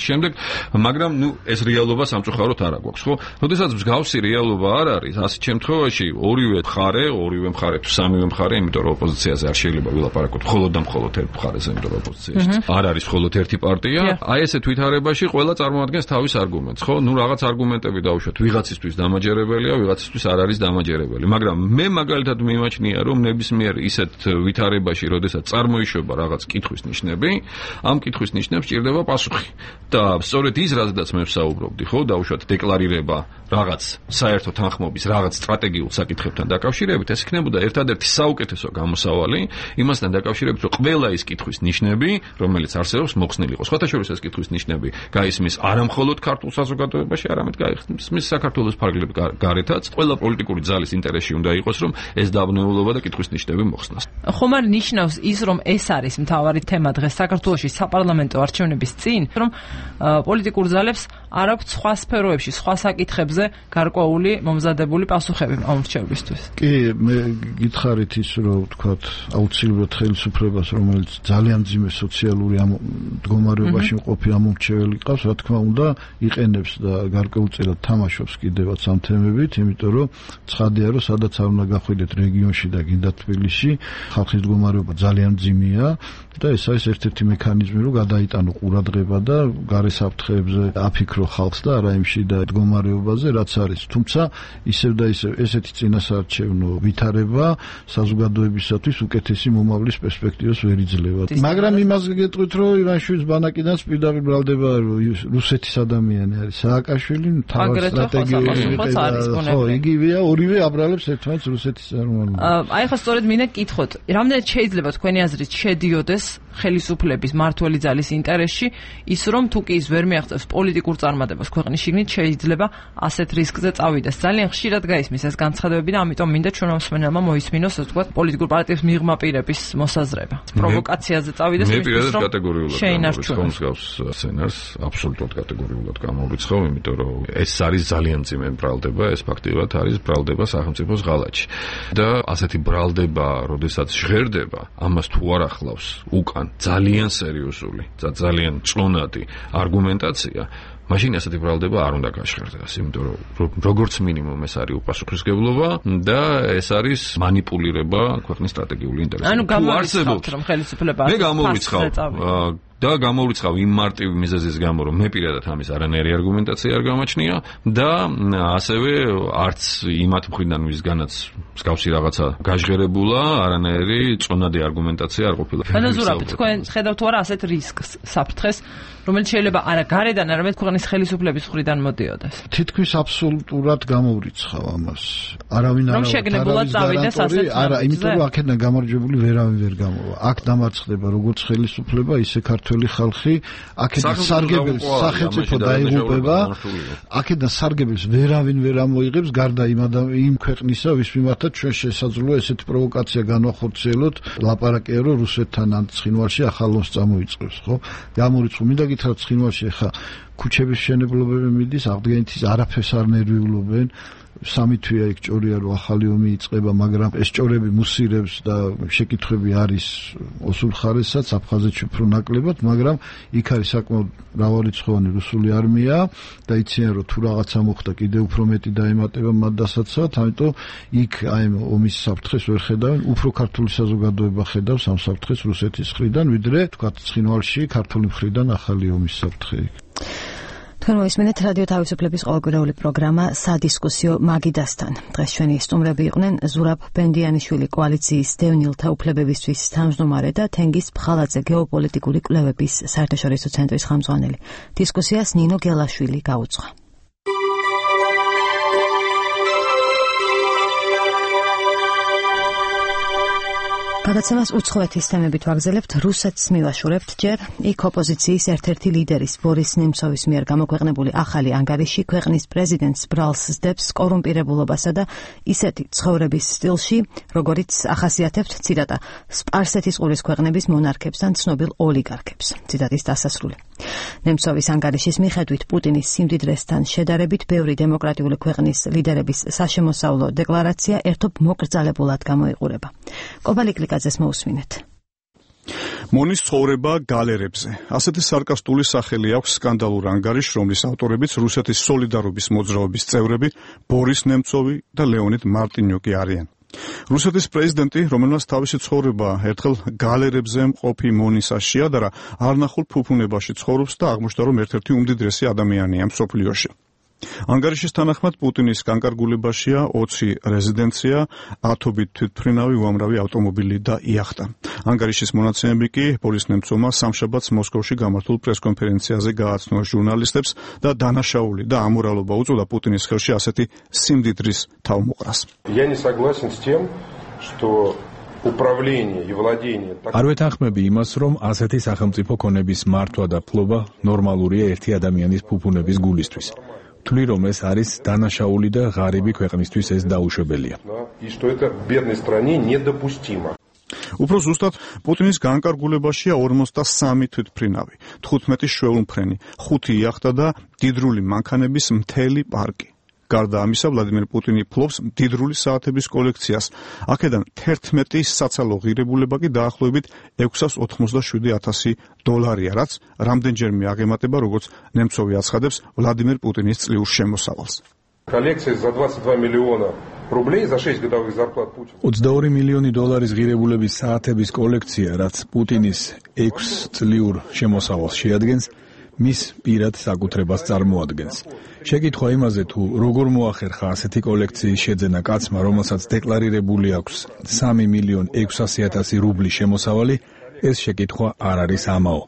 Speaker 9: შემდეგ, მაგრამ ეს რეალობა სამწუხაროდ არ აქვს, ხო? როდესაც მსგავსი რეალობა არ არის, ასეთ შემთხვევაში ორივე მხარე თუ სამივე მხარე, იმიტომ რომ ოპოზიციაზე არ შეიძლება ვილაპარაკოთ მხოლოდ და მხოლოდ ერთ მხარეზე, იმიტომ რომ ოპოზიციაში არ არის მხოლოდ ერთი პარტია, აი ესეთ ვითარებაში ყველა წარმოადგენს თავის არგუმენტს, ხო? რაღაც არგუმენტები დაუშვათ ვიღაცისთვის დამაჯერებელია, ვიღაცისთვის არ არის დამაჯერებელი, მაგრამ მე მაგალითად მიმაჩნია, რომ ნებისმიერ ისეთ ვითარებაში, როდესაც წარმოიშვება რაღაც კითხვის ნიშნები, ამ კითხვის ნიშნებს ჭირდება პასუხი. და სწორედ ის, რაზედაც მე ვსაუბრობდი, ხო, დაუშვათ დეკლარირება რაღაც საერთო თანხმობის, რაღაც სტრატეგიულ საკითხებთან დაკავშირებით, ეს იქნებოდა ერთადერთი საუკეთესო გამოსავალი იმასთან დაკავშირებით, რომ ყველა ის კითხვის ნიშნები, რომელიც არსებობს, მოხსნილი იყოს. სხვათაშორის ეს კითხვის ნიშნები გაისმის არამხოლოდ ქართულ საზოგადოებაში, არამედ გაისმის საქართველოს ფარგლებ გარეთაც. ყველა პოლიტიკური ძალის ინტერესში უნდა იყოს, რომ ეს დაბნეულობა და კითხვის ნიშნები მოხსნას.
Speaker 4: ხომ არ ნიშნავს ის, რომ ეს არის მთავარი თემა დღეს საქართველოში საპარლამენტო არჩევნების წინ, რომ პოლიტიკურ ძალებს არ აქვს სხვა სფეროებში, სხვა საკითხებზე გარკვეული მომზადებული პასუხები ამ რჩევებისთვის.
Speaker 6: კი, მე გითხარით ის, რომ ვთქვათ, აუცილებლად ხელისუფლებას, რომელიც ძალიან მძიმე სოციალური მდგომარეობაში მყოფი ამომრჩეველი ყავს, რა თქმა უნდა, იყენებს და გარკვეულწილად თამაშობს კიდევაც ამ თემებით, იმიტომ რომ ცხადია, რომ სადაც არ უნდა გახვიდეთ რეგიონში და გინდა თბილისში, ხალხის მდგომარეობა ძალიან მძიმეა და ეს არის ერთ-ერთი მექანიზმი, რომ გადაიტანო ყურადღება და გარესაფრთხეებზე აფიქრო ხალხს და არა იმ შიდა მდგომარეობაზე, რაც არის. თუმცა ისევ და ისევ ესეთი წინასაარჩევნო ვითარება საზოგადოებისათვის უკეთესი მომავლის პერსპექტივას ვერ იძლევა. მაგრამ იმას გეტყვით, რომ ივანიშვილის ბანაკიდან პირდაპირ ბრალდება რუსეთის ადამიანი არის სააკაშვილი, თავად სტრატეგიული ხო, იგივეა, ორივე აბრალებს ერთმანეთს რუსეთის წარმომადგენლებს.
Speaker 4: აი ხა სწორედ მინდა გკითხოთ, რამდენად შეიძლება თქვენი აზრით შედიოდეს ხელისუფლების მმართველი ძალის ინტერესში ის, რომ თუ კი ის ვერ მიაღწევს პოლიტიკურ წარმატებას ქვეყნის შიგნით, შეიძლება ასეთ რისკზე წავიდეს. ძალიან ხშირად გაისმის ეს განცხადებები და ამიტომ მინდა ჩვენ მსმენელმა მოისმინოს, ასე ვთქვათ, პოლიტიკურ პარტიებს მიღმა პირების მოსაზრება. პროვოკაციაზე წავიდეს
Speaker 9: მე პირადად კატეგორიულად
Speaker 4: შეინარჩუნოს
Speaker 9: მსგავს სცენარს, აბსოლუტურად კატეგორიულად გამოვიცხავ, იმიტომ რომ ეს არის ძალიან მძიმე ბრალდება, ეს ფაქტიურად არის ბრალდება სახელმწიფოს ღალატში. და ასეთი ბრალდება, როდესაც ჟღერდება, ამას თუ არ ახლავს უკან ძალიან სერიოზული და ძალიან წონადი არგუმენტაცია, მაშინ ასეთი ბრალდება არ უნდა გაშხერდეს, იმიტომ რომ როგორც მინიმუმ ეს არის უპასუხისმგებლობა და ეს არის манипуლირება ქვეყნის სტრატეგიული ინტერესებით.
Speaker 4: ანუ გამორიცხავთ რომ ხელისუფლება
Speaker 9: მე გამორიცხავ და გამოვრიცხავ იმ მარტივი მიზეზის გამო, რომ მე პირადად ამის არანაირი არგუმენტაცია არ გამაჩნია და ასევე არც იმათ მხრიდან ვისგანაც მსგავსი რაღაცა გაჟღერებულა, არანაირი წონადი არგუმენტაცია არ ყოფილა.
Speaker 4: ანუ ზურაბ, თქვენ ხედავთ თუ არა ასეთ რისკს საფრთხეს, რომელიც შეიძლება არა გარედან, არამედ ქვეყნის ხელისუფლების მხრიდან მოდიოდეს.
Speaker 6: თითქმის აბსოლუტურად გამოვრიცხავ ამას. არავინ არ არა, იმიტომ რომ აქედან გამარჯვებული ვერავინ ვერ გამოვა. აქ დამარცხდება როგორც ხელისუფლება, ისე ქართველი ხალხი, აქედან სარგებელს სახელმწიფო დაიღუპება, აქედან სარგებელს ვერავინ ვერ ამოიღებს, გარდა იმ ქვეყნისა, ვის მიმართაც ჩვენ შესაძლოა ესეთი პროვოკაცია განვახორციელოთ, ლაპარაკია რომ რუსეთთან ან ცხინვალში ახალ ომს წამოიწყებს, ხო? გამორიცხო, მინდა გითხრათ ცხინვალში ხა ქუჩების მშენებლობები მიდის, აღდგენითის არაფერს არ ნერვიულობენ. 3 თვეა იქ ჭორია რომ ახალი ომი იწყება, მაგრამ ეს ჭორები მუსირებს და შეკითხვები არის ოსურხარესაც აფხაზეთში უფრო ნაკლებად, მაგრამ იქ არის საკმაოდ მრავალრიცხოვანი რუსული არმია და იციან რომ თუ რაღაცა მოხდა კიდევ უფრო მეტი დაემატება მათ დასაცავად, ამიტომ იქ აი ომის საფრთხეს ვერ ხედავენ, უფრო ქართული საზოგადოება ხედავს ამ საფრთხეს რუსეთის მხრიდან, ვიდრე თქვათ ცხინვალში ქართული მხრიდან ახალი ომის საფრთხე.
Speaker 5: თქვენ მოისმენთ რადიო თავისუფლების ყოველკვირეული პროგრამა სადისკუსიო მაგიდასთან. დღეს ჩვენი სტუმრები იყვნენ ზურაბ ბენდიანიშვილი, კოალიციის დევნილთა უფლებებისთვის თავმჯდომარე და თენგიზ ფხალაძე, გეოპოლიტიკური კვლევების საერთაშორისო ცენტრის ხელმძღვანელი. დისკუსიას ნინო გელაშვილი გაუძღვა. გადაცემას უცხოეთის თემებით ვაგზელებთ, რუსეთს მივაშურებთ ჯერ. იქ ოპოზიციის ერთ-ერთი ლიდერის ბორის ნემცოვის მიერ გამოქვეყნებული ახალი ანგარიში ქვეყნის პრეზიდენტს ბრალს სდებს კორუმპირებულობასა და ისეთი ცხოვრების სტილში, როგორიც ახასიათებთ, ციტატა, სპარსეთის ყურის ქვეყნების მონარქებს ან ცნობილ ოლიგარქებს. ციტატის დასასრული. ნემცოვის ანგარიშის მიხედვით პუტინის სიმდიდრესთან შედარებით ბევრი დემოკრატიული ქვეყნის ლიდერების საშემოსავლო დეკლარაცია ერთობ მოკრძალებულად გამოიყურება. კობალიკლიკაძეს მოусმინეთ.
Speaker 2: მონის ცხოვრება გალერებზე. ასეთი სარკასტული სახელი აქვს სკანდალურ ანგარიშს, რომლის ავტორებიც რუსეთის სოლიდარობის მოძრაობის წევრები ბორის ნემცოვი და ლეონიდ მარტინიუკი არიან. რუსეთის პრეზიდენტი, რომელმაც თავისი ცხოვრება ერთხელ გალერებზე მყოფი მონისას შეადარა, არნახულ ფუფუნებაში ცხოვრობს და აღმოჩნდა, რომ ერთ-ერთი უმდიდრესი ადამიანია მსოფლიოში. ანგარიშის თანახმად პუტინის განკარგულებაშია 20 რეზიდენცია, ათობით თვითმფრინავი, უამრავი ავტომობილი და იახტა. ანგარიშის მონაცემები კი ბორის ნემცოვმა სამშაბათს მოსკოვში გამართულ პრესკონფერენციაზე გააცნო ჟურნალისტებს და დანაშაული და ამორალობა უწოდა პუტინის ხელში ასეთი სიმდიდრის თავმოყრას.
Speaker 11: Я не согласен с тем, что управление и владение
Speaker 12: არ ვეთანხმები იმას, რომ ასეთი სახელმწიფო ქონების მართვა და ფლობა ნორმალურია ერთი ადამიანის ფუფუნების გულისთვის. თვლი რომ ეს არის დანაშაული და ღარიბი ქვეყნისთვის ეს დაუშვებელია.
Speaker 2: უფრო ზუსტად, პუტინის განკარგულებაშია 53 თვითმფრინავი, 15 შვეულმფრენი, 5 იახტა და მდიდრული მანქანების მთელი პარკი. გარდა ამისა, ვლადიმერ პუტინი ფლობს მდიდრული საათების კოლექციას. აქედან 11 საცალო ღირებულება კი დაახლოებით $687,000, რაც რამდენჯერმე აღემატება, როგორც ნემცოვი აცხადებს, ვლადიმერ პუტინის წლიურ შემოსავალს.
Speaker 11: Коллекция за 22 миллиона рублей за 6 годовых зарплат Путина.
Speaker 12: 22 მილიონი დოლარის ღირებულების საათების კოლექცია, რაც პუტინის 6 წლიურ შემოსავალს შეადგენს, მის პირად საკუთრებას წარმოადგენს. შეკითხვა იმაზე, თუ როგორ მოახერხა ასეთი კოლექციის შეძენა კაცმა, რომელსაც დეკლარირებული აქვს 3,600,000 რუბლი შემოსავალი, ეს შეკითხვა არ არის ამაო.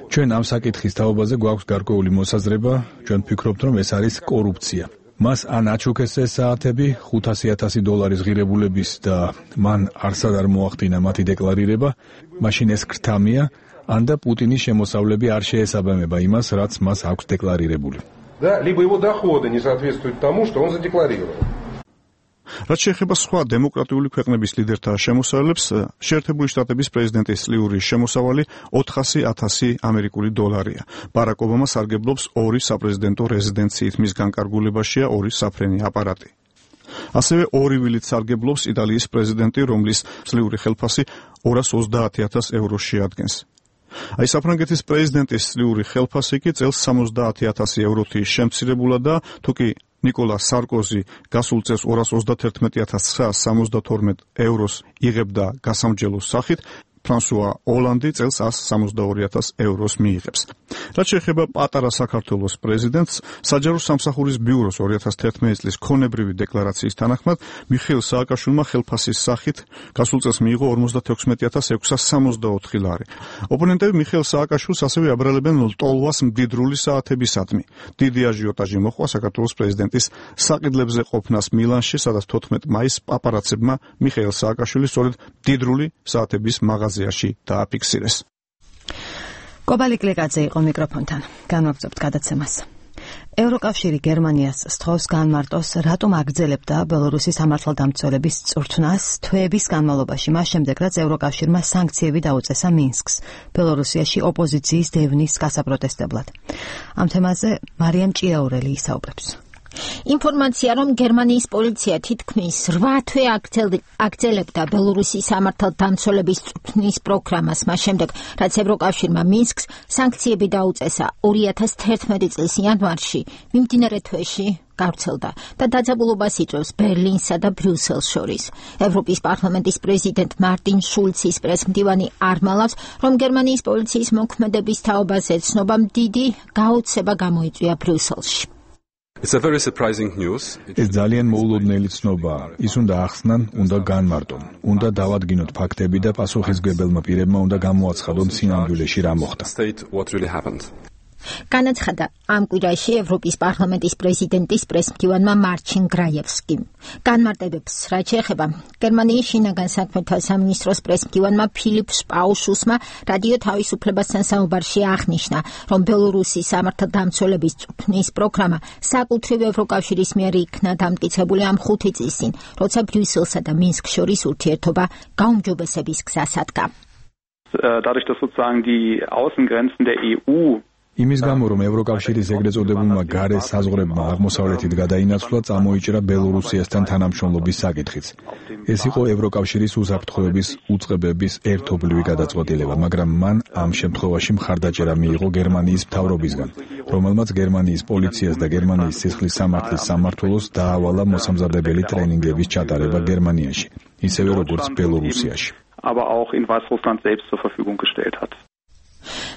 Speaker 12: ჩვენ ამ საკითხის თაობაზე გვაქვს გარკვეული მოსაზრება, ჩვენ ვფიქრობთ, რომ ეს არის კორუფცია. მას ან აჩუქეს ეს საათები $500,000 ღირებულების და მან არსად არ მოახდინა მათი დეკლარირება, მაშინ ეს ქრთამია, ან და პუტინის შემოსავლები არ შეესაბამება იმას, რაც მას აქვს დეკლარირებული.
Speaker 11: Да, либо его доходы не соответствуют тому, что он задекларировал.
Speaker 2: რაც შეეხება სხვა დემოკრატიული ქვეყნების ლიდერთა შემოსავლებს, შეერთებული შტატების პრეზიდენტის წლიური შემოსავალი $400,000. ბარაკ ობამა სარგებლობს 2 საპრეზიდენტო რეზიდენციით, მის განკარგულებაშია 2 საფრენი აპარატი. ასევე 2 ვილით სარგებლობს იტალიის პრეზიდენტი, რომლის წლიური ხელფასი €230,000 შეადგენს. აი საფრანგეთის პრეზიდენტის წლიური ხელფასი წელს 70,000 ევროთი შემცირებულა და თუკი ნიკოლა სარკოზი გასულ წელს 231,972 ევროს იღებდა გასამჯელოს სახით, ფრანსუა ოლანდი წელს 162,000 ევროს მიიღებს. რაც შეეხება პატარა საქართველოს პრეზიდენტს, საჯარო სამსახურის ბიუროს 2011 წლის ქონებრივი დეკლარაციის თანახმად მიხეილ სააკაშვილმა ხელფასის სახით გასულ წელს მიიღო 56,664 ლარი. ოპონენტები მიხეილ სააკაშვილს ასევე აბრალებენ ლტოლვას მდიდრული საათებისადმი. დიდი აჟიოტაჟი მოჰყვა საქართველოს პრეზიდენტის საყიდლებზე ყოფნას მილანში, სადაც 14 მაისს პაპარაცებმა მიხეილ სააკაშვილის სწორედ მდიდრული საათების მაღაზიაში დააფიქსირეს.
Speaker 5: კობალი კლიკაძე იყო მიკროფონთან. განვაგრძობთ გადაცემას. ევროკავშირი გერმანიას სთხოვს განმარტოს, რატომ აგრძელებდა ბელორუსის სამართალდამცველების წვრთნას თვეების განმავლობაში, მას შემდეგ, რაც ევროკავშირმა სანქციები დაუწესა მინსკს, ბელორუსიაში ოპოზიციის დევნის გასაპროტესტებლად. ამ თემაზე მარიამ ჭიაურელი ისაუბრებს.
Speaker 1: ინფორმაცია, რომ გერმანიის პოლიცია თითქმის 8 თვე აგრძელებდა ბელორუსის სამართალდამცველების წვრთნის პროგრამას, მას შემდეგ, რაც ევროკავშირმა მინსკს სანქციები დაუწესა 2011 წლის იანვარში, მიმდინარე თვეში გავრცელდა და დაძაბულობას იწვევს ბერლინსა და ბრიუსელს შორის. ევროპის პარლამენტის პრეზიდენტ მარტინ შულცის პრესმდივანი არმალავს, რომ გერმანიის პოლიციის მოქმედების თაობაზე ცნობამ დიდი გაოცება გამოიწვია ბრიუსელში.
Speaker 10: It's a very surprising news.
Speaker 12: ეს ძალიან მოულოდნელი ცნობაა. ის უნდა ახსნან, უნდა განმარტონ, უნდა დავადგინოთ ფაქტები და პასუხისმგებელმა პირებმა უნდა გამოაცხადონ სინამდვილეში რა მოხდა.
Speaker 10: State what really happened.
Speaker 1: განაცხადა ამ კვირაში ევროპის პარლამენტის პრეზიდენტის პრესმდივანმა მარჩინ გრაიევსკიმ. განმარტებებს რაც შეეხება გერმანიის შინაგან საქმეთა სამინისტროს პრესმდივანმა ფილიპ შპაუშუსმა რადიო თავისუფლებასთან საუბარში აღნიშნა, რომ ბელორუსის სამართალდამცველების წვრთნის პროგრამა საკუთრივ ევროკავშირის მიერ იქნა დამტკიცებული ამ 5 წლის წინ, როცა ბრიუსელსა და მინსკს შორის ურთიერთობა გაუმჯობესების გზას ადგა.
Speaker 13: Dadurch, dass sozusagen die Außengrenzen der EU
Speaker 12: იმის გამო, რომ ევროკავშირის ეგრეთ წოდებულმა გარე საზღვრებმა აღმოსავლეთით გადაინაცვლა, წამოიჭრა ბელორუსიასთან თანამშრომლობის საკითხიც. ეს იყო ევროკავშირის უსაფრთხოების უწყებების ერთობლივი გადაწყვეტილება, მაგრამ მან ამ შემთხვევაში მხარდაჭერა მიიღო გერმანიის მთავრობისგან, რომელმაც გერმანიის პოლიციას და გერმანიის სისხლის სამართლის სამმართველოს დაავალა მოსამზადებელი ტრენინგების ჩატარება გერმანიაში, ისევე როგორც ბელორუსიაში.
Speaker 13: aber auch in Weißrussland selbst zur Verfügung gestellt hat.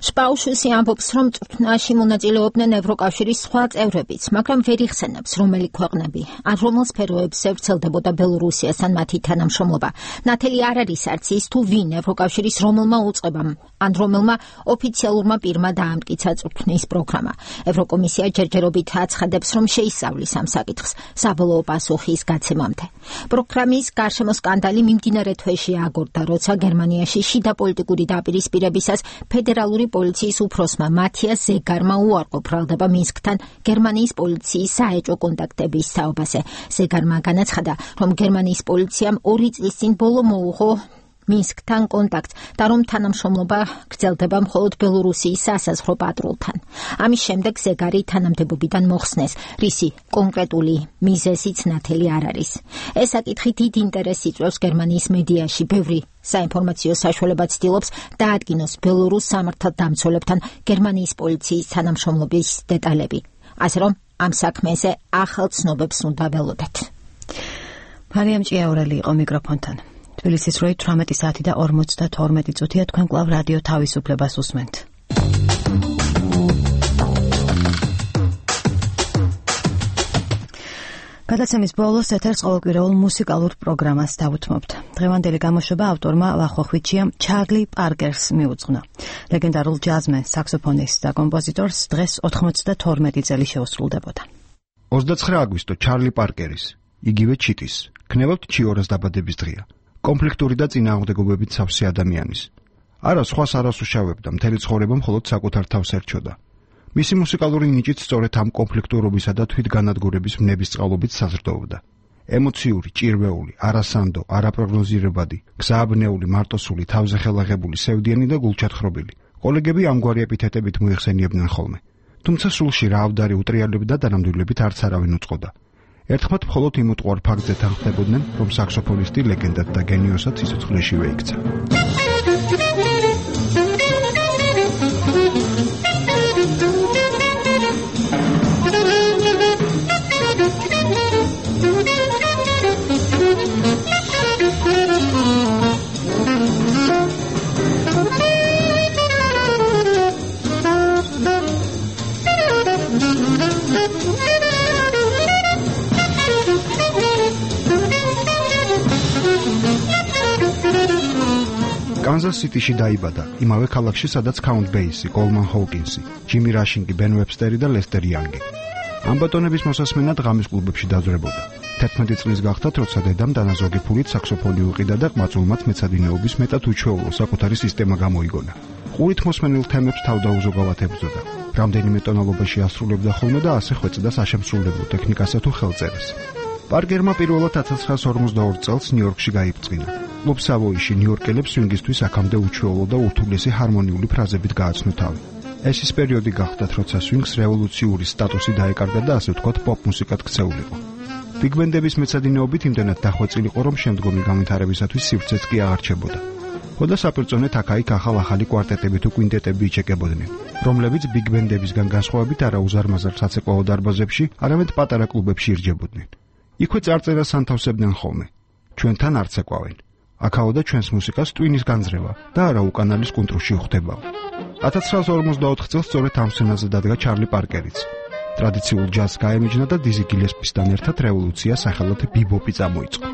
Speaker 1: შპაუშუსი ამბობს, რომ წვრთნაში მონაწილეობდნენ ევროკავშირის სხვა წევრებიც, მაგრამ ვერ იხსენებს, რომელი ქვეყნები, ან რომელ სფეროებზე ვრცელდებოდა ბელორუსიასთან მათი თანამშრომლობა. ნათელი არ არის არც ის, თუ ვინ ევროკავშირის რომელმა უწყებამ, ან რომელმა ოფიციალურმა პირმა დაამტკიცა წვრთნის პროგრამა. ევროკომისია ჯერჯერობით აცხადებს, რომ შეისწავლის ამ საკითხს საბოლოო პასუხის გაცემამდე. პროგრამის გარშემო სკანდალი მიმდინარე თვეში აგორდა, როცა გერმანიაში შიდა პოლიტიკური დაპირისპირებისას ფედერალური პოლიციის უფროსმა მათიას ზეგარმა უარყო ბრალდება მინსკთან გერმანიის პოლიციის საეჭვო კონტაქტების თაობაზე. ზეგარმა განაცხადა, რომ გერმანიის პოლიციამ 2 წლის წინ ბოლო მოუღო მინსკთან კონტაქტს და რომ თანამშრომლობა გრძელდება მხოლოდ ბელორუსიის სასაზღვრო პატრულთან. ამის შემდეგ ზეგარი თანამდებობიდან მოხსნეს, რისი კონკრეტული მიზეზიც ნათელი არ არის. ეს საკითხი დიდ ინტერესს იწვევს გერმანიის მედიაში, ბევრი საინფორმაციო საშუალება ცდილობს დაადგინოს ბელორუს სამართალდამცველებთან გერმანიის პოლიციის თანამშრომლობის დეტალები. ასე რომ ამ საქმეზე ახალ ცნობებს უნდა ველოდეთ.
Speaker 5: მარიამ ჭიაურელი იყო მიკროფონთან. თბილისის 18 საათი და 52 წუთია, თქვენ კვლავ რადიო თავისუფლებას უსმენთ. გადაცემის ბოლოს ეთერს ყოველკვირეულ მუსიკალურ პროგრამას დავუთმობთ. დღევანდელი გამოშვება ავტორმა ვახოხვიჩიამ ჩარლი პარკერს მიუძღვნა. ლეგენდარულ ჯაზმენს, საქსოფონისტს და კომპოზიტორს დღეს 92 წელი შეუსრულდებოდა.
Speaker 14: 29 აგვისტო ჩარლი პარკერის, იგივე ჩიტის, ქნებავთ ჩიორას დაბადების დღეა. კონფლიქტური და წინააღმდეგობებით სავსე ადამიანის. არა სხვას არ ასუშავებდა, მთელი ცხოვრება მხოლოდ საკუთარ თავს ერჩოდა. მისი მუსიკალური ნიჭით სწორედ ამ კონფლიქტურობისა და თვითგანადგურების ვნებისწყალობით საზრდოობდა. ემოციური, ჭირვეული, არასანდო, არაპროგნოზირებადი, გზააბნეული, მარტოსული, თავზე ხელაღებული, სევდიანი და გულჩათხრობილი. კოლეგები ამგვარი ეპითეტებით მოიხსენიებდნენ ხოლმე. თუმცა სულში რაავდარი უტრიალები და დანამდვილებით არც არავინ უწყოდა. ერთხმად მხოლოდ იმ უტყუარ ფაქტზე თანხმდებოდნენ, რომ საქსოფონისტი ლეგენდად და გენიოსად სიცოცხლეშივე იქცა. კანზას სიტიში დაიბადა, იმავე ქალაქში, სადაც Count Basie, Coleman Hawkinsi, Jimmy Rushing, Ben Webster და Lester Young. ამ ბატონების მოსასმენად ღამის კლუბებში დაძვრებოდა. 11 წლის გახდათ, როცა დედამ დანაზოგი ფულით საქსოფონი უყიდა და ყმაწვილმაც მეცადინეობის მეტად უჩვეულო საკუთარი სისტემა გამოიგონა. ყურით მოსმენილ თემებს თავდაუზოგავად ებრძოდა. რამდენიმე ტონალობაში ასრულებდა ხოლმე და ასე ხვეწდა საშემსრულებლო ტექნიკასა თუ ხელწერას. პარკერმა პირველად 1942 წელს ნიუ-იორკში გაიბრძინა. კლუბ სავოიში ნიუ-იორკელებს სვინგისთვის აქამდე უჩვეულო და ურთულესი ჰარმონიული ფრაზებით გააცნო თავი. ეს ის პერიოდი გახდათ, როცა სვინგს რევოლუციური სტატუსი დაეკარგა და ასე ვთქვათ პოპ მუსიკად ქცეულიყო. ბიგბენდების მეცადინეობით იმდენად დახვეწილიყო, რომ შემდგომი განვითარებისათვის სივრცეც კი აღარჩებოდა. ხოდა საპირწონეთ აქ-იქ ახალ-ახალი კვარტეტები თუ კვინტეტები იჩეკებოდნენ, რომლებიც ბიგბენდებისგან განსხვავებით არა უზარმაზარ საცეკვაო დარბაზებში, არამედ პატარა კლუბებში ირჯებოდნენ. იქვე წარწერას ანთავსებდნენ ხოლმე. ჩვენთან არ ცეკვავენ. აქაო და ჩვენს მუსიკას ტვინის განძრევა და არა უკანალის კუნტრუში უხდებაო. 1944 წელს სწორედ ამ სცენაზე დადგა ჩარლი პარკერიც. ტრადიციულ ჯაზს გაემიჯნა და დიზი გილესპისთან ერთად რევოლუცია სახელად ბიბოპი წამოიწყო.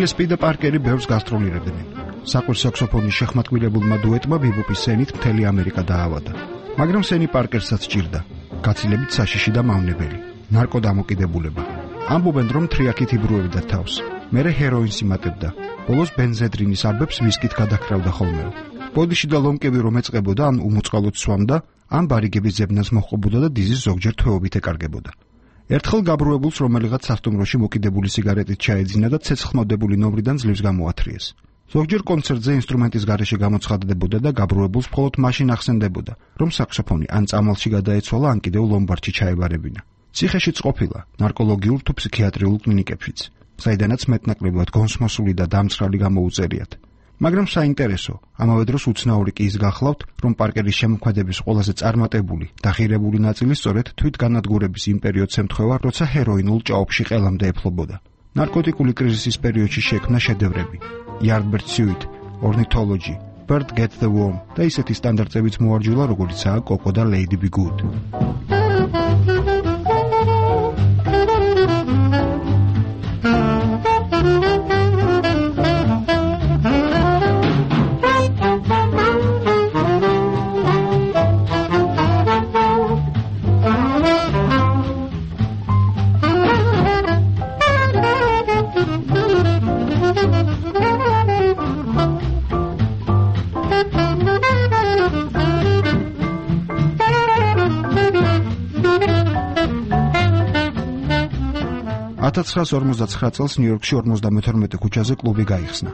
Speaker 14: გილესპი და პარკერი ბევრს გასტროლირებდნენ. საყვირ საქსოფონის შეხმატკივრებულმა დუეტმა ბიბოპის სცენით მთელი ამერიკა დაავადა. მაგრამ სენი პარკერსაც ჭირდა. გაცილებით საშიში და მავნებელი. ნარკოდამოკიდებულება. ამბობენ, რომ თრიაქით იბრუებდა თავს. მერე ჰეროინს იმატებდა. ბოლოს ბენზედრინის აბებს ვისკით გადაქრავდა ხოლმე. ბოდიში და ლომკები რომ ეწყებოდა, ან უმოწყალოდ სვამდა, ან ბარიგების ზებნას მოჰყობოდა და დიზის ზოგჯერ თვეობით ეკარგებოდა. ერთხელ გაბრუებულს რომელიღაც სასტუმროში მოკიდებული სიგარეტით ჩაეძინა და ცეცხლმოდებული ნომრიდან ძლივს გამოათრიეს. ზოგჯერ კონცერტზე ინსტრუმენტის გარეშე გამოცხადდებოდა და გაბრუებულს მხოლოდ მაშინ ახსენდებოდა, რომ საქსოფონი ან წამალში გადაეცვალა, ან კიდევ ლომბარდში ჩაებარებინა. ციხეშიც ყოფილა, ნარკოლოგიურ თუ ფსიქიატრიულ კლინიკებშიც, საიდანაც მეტნაკლებად გონსმოსული და დამცრალი გამოუწერიათ. მაგრამ საინტერესო, ამავე დროს უცნაური კი ის გახლავთ, რომ პარკერის შემოქმედების ყველაზე წარმატებული და ღირებული ნაწილი სწორედ თვითგანადგურების იმ პერიოდს ემთხვევა, როცა ჰეროინულ ჭაობში ყელამდე ეფლობოდა. ნარკოტიკული კრიზისის პერიოდში შექმნა შედევრები: Yardbird Suite, Ornithology, Bird Gets the Worm და ისეთი სტანდარტებიც მოარჯულა, როგორიცაა Coco და Lady Be Good. $1959 წელს ნიუ-იორკში 52 ქუჩაზე კლუბი გაიხსნა.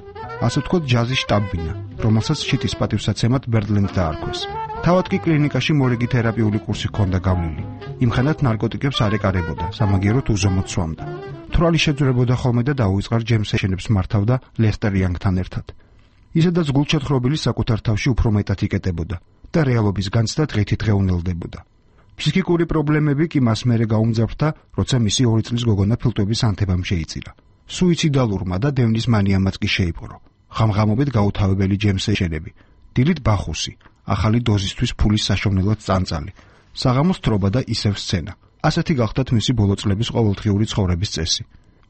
Speaker 14: ასე ვთქვათ, ჯაზის შტაბ-ბინა, რომელსაც შიტის პატივსაცემად ბერდლენდ დაარქვეს. თავად კი კლინიკაში მორიგი თერაპიული კურსი ჰქონდა გავლილი. იმხანად ნარკოტიკებს არ ეკარებოდა, სამაგიეროდ უზომოდ სვამდა. თვრალი შეძვრებოდა ხოლმე და დაუვიწყარ ჯემ სეშენებს მართავდა ლესტერ იანგთან ერთად. ისედაც გულჩათხრობილი საკუთარ თავში უფრო მეტად იკეტებოდა და რეალობის განცდა დღითი დღეუნელდებოდა. ფსიქიკური პრობლემები კი მას მერე გაუმძაფრდა, როცა მისი 2 წლის გოგონა ფილტვების ანთებამ შეიწირა. სუიციდალურმა და დევნის მანიამაც კი შეიპყრო. ღამღამობით გაუთავებელი ჯემ სეშენები, დილით ბახუსი, ახალი დოზისთვის ფულის საშოვნელად წანწალი, საღამოს თრობა და ისევ სცენა. ასეთი გახდათ მისი ბოლო წლების ყოველდღიური ცხოვრების წესი.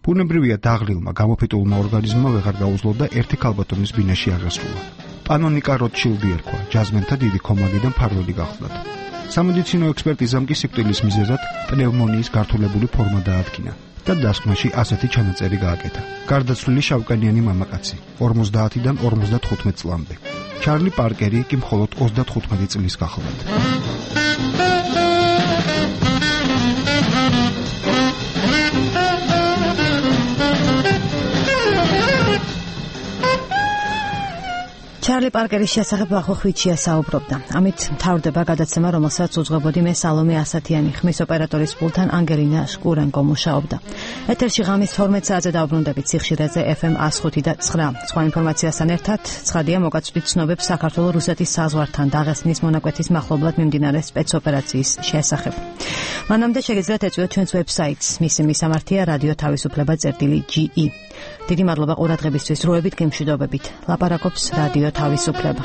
Speaker 14: ბუნებრივია დაღლილმა, გამოფიტულმა ორგანიზმმა ვეღარ გაუძლოდა ერთი ქალბატონის ბინაში აღესრულა. პანონიკა როტშილდი ერქვა, ჯაზმენთა დიდი კომადი და მფარველი გახლდათ. სამედიცინო ექსპერტიზამ კი სიკვდილის მიზეზად პნევმონიის გართულებული ფორმა დაადგინა და დასკვნაში ასეთი ჩანაწერი გააკეთა. გარდაცვლილი შავკანიანი მამაკაცი, 50-დან 55 წლამდე. ჩარლი პარკერი კი მხოლოდ 35 წლის გახლდათ.
Speaker 5: ჩარლი პარკერის შესახებ ახოხვიჩია საუბრობდა. ამით მთავრდება გადაცემა, რომელსაც უძღვებოდი მე სალომე ასათიანი, ხმის ოპერატორის პულთან ანგელინა შკურენკო მუშაობდა. ეთერში ღამის 12 საათზე დაუბრუნდებით სიხშირეზე FM 105 და 9. სხვა ინფორმაციასთან ერთად ცხადია მოგაწვდით ცნობებს საქართველოს-რუსეთის საზღვართან დაღესტნის მონაკვეთის მახლობლად მიმდინარე სპეცოპერაციის შესახებ. მანამდე შეგიძლიათ ეწვიოთ ჩვენს ვებსაიტს, მისი მისამართია რადიო თავისუფლება.ge. დიდი მადლობა ყურადღებისთვის, როებით გემშვიდობებით. ლაპარაკობს რადიო თავისუფლება.